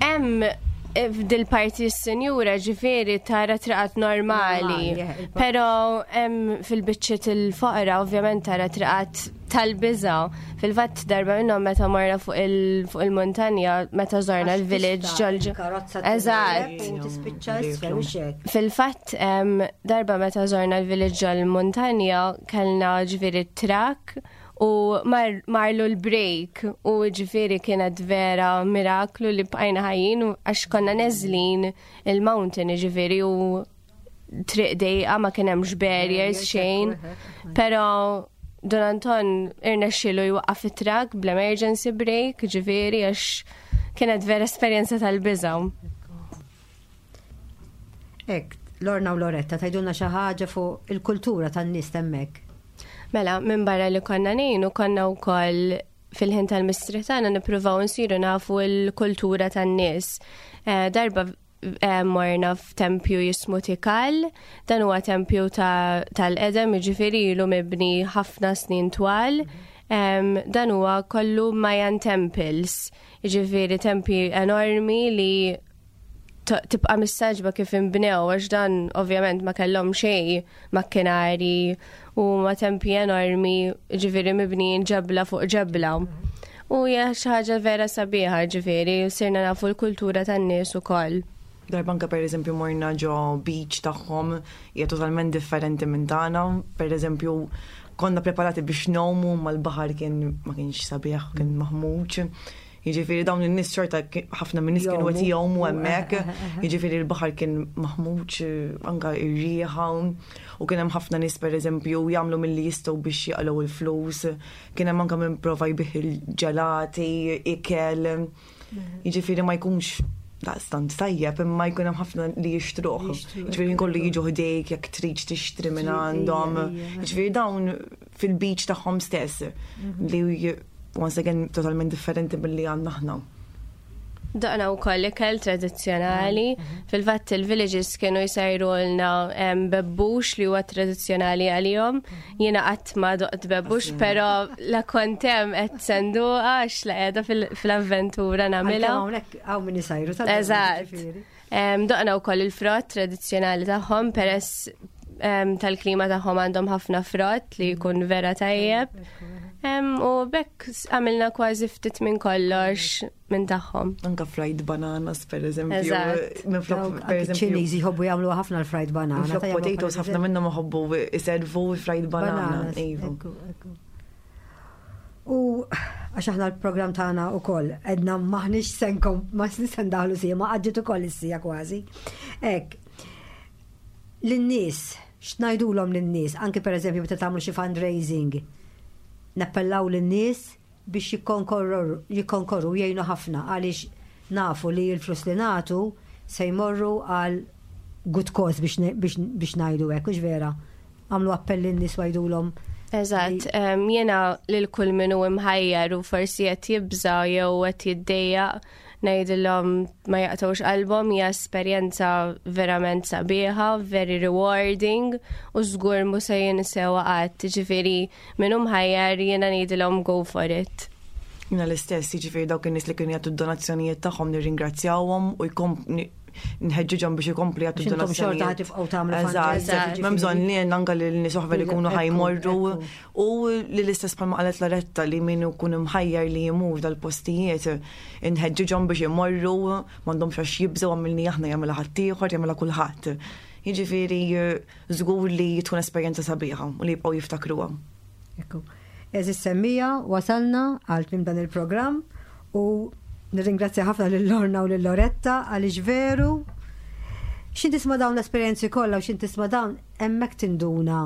Speaker 3: Hemm eh, f'dil-parti s-senjura ġifieri tara triqat normali, eh, però hemm fil-biċċiet il-foqra ovvjament tara triqat tal-biża. Fil-fatt darba minnhom meta morna fuq il-muntanja, meta żorna l-village ġol.
Speaker 2: Eżatt. Tispiċċa isfel u xek.
Speaker 3: Fil-fatt darba meta żorna l-village ġol muntanja kellna ġifieri trak u marlu l-break u ġifieri kienet vera miraklu li bqajna ħajjin għax konna neżlin il-mountain ġifieri u triq dejqa ma kien hemmx barriers xejn, però Don Anton irnexxielu jwaqqaf it-trak bl-emergency brake, ġifieri għax kienet vera esperjenza tal-biża'.
Speaker 2: Ek, Lorna u Loretta, tajdulna xi ħaġa fuq il-kultura tan-nies hemmhekk.
Speaker 3: Mela, minn barra li konna ngħinu konna wkoll fil-ħin tal-mistrieħ tagħna nippruvaw nsiru nafu l-kultura tan-nies. Eh, darba eh, morna f'tempju jismu Tikal, dan huwa tempju tal-qedem, jiġifieri ilu mibni ħafna snin twal. Dan huwa kollu Mayan temples, jiġifieri tempji enormi li tibqa' mistaġba kif inbnew għax dan ovvjament ma kellhom xejn makkinari u ma tempi enormi ġifieri mibnijin ġebla fuq ġebla. U hija xi ħaġa vera sabiħa ġifieri sirna nafu l-kultura tan-nies ukoll.
Speaker 4: Darba anke pereżempju morna ġo beach tagħhom hija totalment differenti minn tagħna, pereżempju konna preparati biex ngħumu mal-baħar kien ma kienx sabiħ, kien maħmuġ. Jiġifieri dawn in-nies xorta ħafna minn nies kienu qed jgħumu hemmhekk, jiġifieri l-baħar kien maħmuġ anke r-riħa u kien hemm ħafna nies pereżempju jagħmlu milli jistgħu biex jaqilgħu l-flus, kien hemm anke min prova jbigħ il-ġelati, ikel. Jiġifieri ma jkunx daqstant tajjeb imma jkun hemm ħafna li jixtruh. Jiġifieri kollu jiġu ħdejk jekk trid tixtri minn għandhom. Jiġifieri dawn fil-beach tagħhom stess li once again totalment differenti milli għandna aħna.
Speaker 3: Doqna u koll ikel tradizzjonali. Fil-fatt il-villages kienu jsajru lna bebbux li huwa tradizzjonali għalihom. Jiena qatt ma doqt bebbux, però la kont hemm qed senduqa għax la qiegħda fil-avventura nagħmilha.
Speaker 2: Hawnhekk hawn min isajru
Speaker 3: tal Eżatt. Doqna wkoll il-frott tradizzjonali tagħhom peress tal-klima tagħhom għandhom ħafna frott li jkun vera tajjeb. U bekk għamilna kważi ftit minn kollox minn tagħhom.
Speaker 4: Anka fried bananas per eżempju.
Speaker 2: Minflok per eżempju. Ċiniżi jħobbu jagħmlu ħafna l-fried banana.
Speaker 4: Minflok potatoes ħafna minnhom iħobbu iservu fried banana. Iva.
Speaker 2: U għax aħna l-programm tagħna wkoll edna maħniex senkom ma se ndaħlu sija ma għaddiet ukoll is-sija kważi. Hekk. Lin-nies, x'ngħidulhom lin-nies, anke pereżempju meta tagħmlu xi fundraising, nappellaw lin-nies biex jikkonkorru jgħinu ħafna għaliex nafu li l-flus li nagħtu se jmorru għal good cause biex ngħidu hekk, hux vera? Għamlu appell lin-nies u għidulhom.
Speaker 3: Eżatt, jiena lil kull min hu imħajjar u forsi qed jibża' jew qed jiddejjaq ngħidilhom ma jaqtgħux qalbhom hija esperjenza verament sabiħa, very rewarding u żgur mhu se jinsewha qatt. Ġifieri min hu mħajjar jiena ngħidilhom go for it.
Speaker 4: Jiena l-istess, jiġifieri dawk in-nies li kienu jagħtu d-donazzjonijiet tagħhom nirringrazzjawhom u jkom nħeġġiġhom biex ikomplu jagħtu
Speaker 2: donazzjonijiet. Xorta tifqgħu tagħmlu
Speaker 4: Eżatt, m'hemm bżonn li anke lil nies oħra li jkunu ħajmorru u li l-istess bħalma qalet Loretta li min ikun imħajjar li jmur dal-postijiet inħeġġiġhom biex imorru m'għandhomx għax jibżgħu għamilni aħna jagħmilha ħaddieħor jagħmilha kulħadd. Jiġifieri żgur li tkun esperjenza sabiħa u li jibqgħu jiftakruha.
Speaker 2: Ekku. Eżis semmija, wasalna għal tmiem dan il-programm u nirringrazzja ħafna lil Lorna u lil Loretta għaliex veru xin tisma' dawn l-esperjenzi kollha u xin tisma' dawn hemmhekk tinduna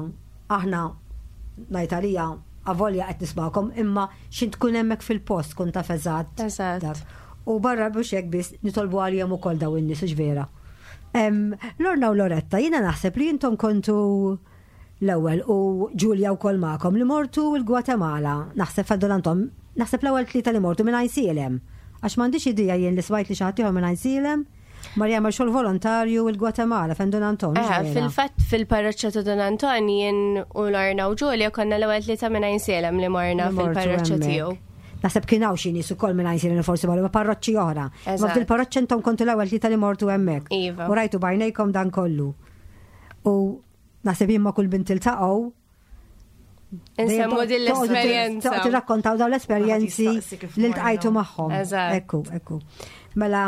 Speaker 2: aħna ngħid għalija avolja qed nismagħkom imma xin tkun hemmhekk fil-post tkun taf eżatt.
Speaker 3: Eżatt.
Speaker 2: U barra mhux hekk biss nitolbu għalihom ukoll dawn in-nies hux vera. Lorna u Loretta, jiena naħseb li intom kontu l-ewwel u Ġulja wkoll magħkom li mortu l-Gwatemala, naħseb Fadol Anton, naħseb l-ewwel tlieta li mortu minn Għajnsielem. Għax m'għandix idea jien li smajt li xi ħadd ieħor minn Għajnsielem mar jagħmel xogħol volontarju l-Gwatemala fejn Don Anton.
Speaker 3: Eh, fil-fatt fil-parroċċa ta' Don Anton jien u Lorna u Ġulja konna l-ewwel tlieta minn Għajnsielem li morna fil-parroċċa tiegħu.
Speaker 2: Naħseb kien hawn xi nies ukoll minn Għajnsielem li forsi marru ma' parroċċi oħra. Ma fil-parroċċa intom kontu l-ewwel tlieta li mortu hemmhekk.
Speaker 3: Iva.
Speaker 2: U rajtu b'għajnejkom dan kollu. U naħseb jien ma' kull bint tiltaqgħu.
Speaker 3: Insemmu din l-esperjenza.
Speaker 2: Tirrakkontaw dawn l-esperjenzi li ltqajtu magħhom. Ekku, ekku. Mela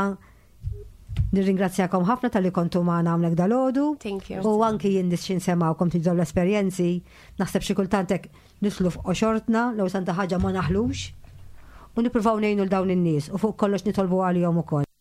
Speaker 2: Nirringrazzjakom ħafna tal-li kontu magħna hawnhekk dalodu.
Speaker 3: Thank you.
Speaker 2: U anki jien nisxin semawkom tidżaw l-esperjenzi, naħseb xi kultant hekk nitlu f'qoxortna l santa ħaġa ma naħlux u nippruvaw ngħinu l dawn in-nies u fuq kollox nitolbu għalihom ukoll.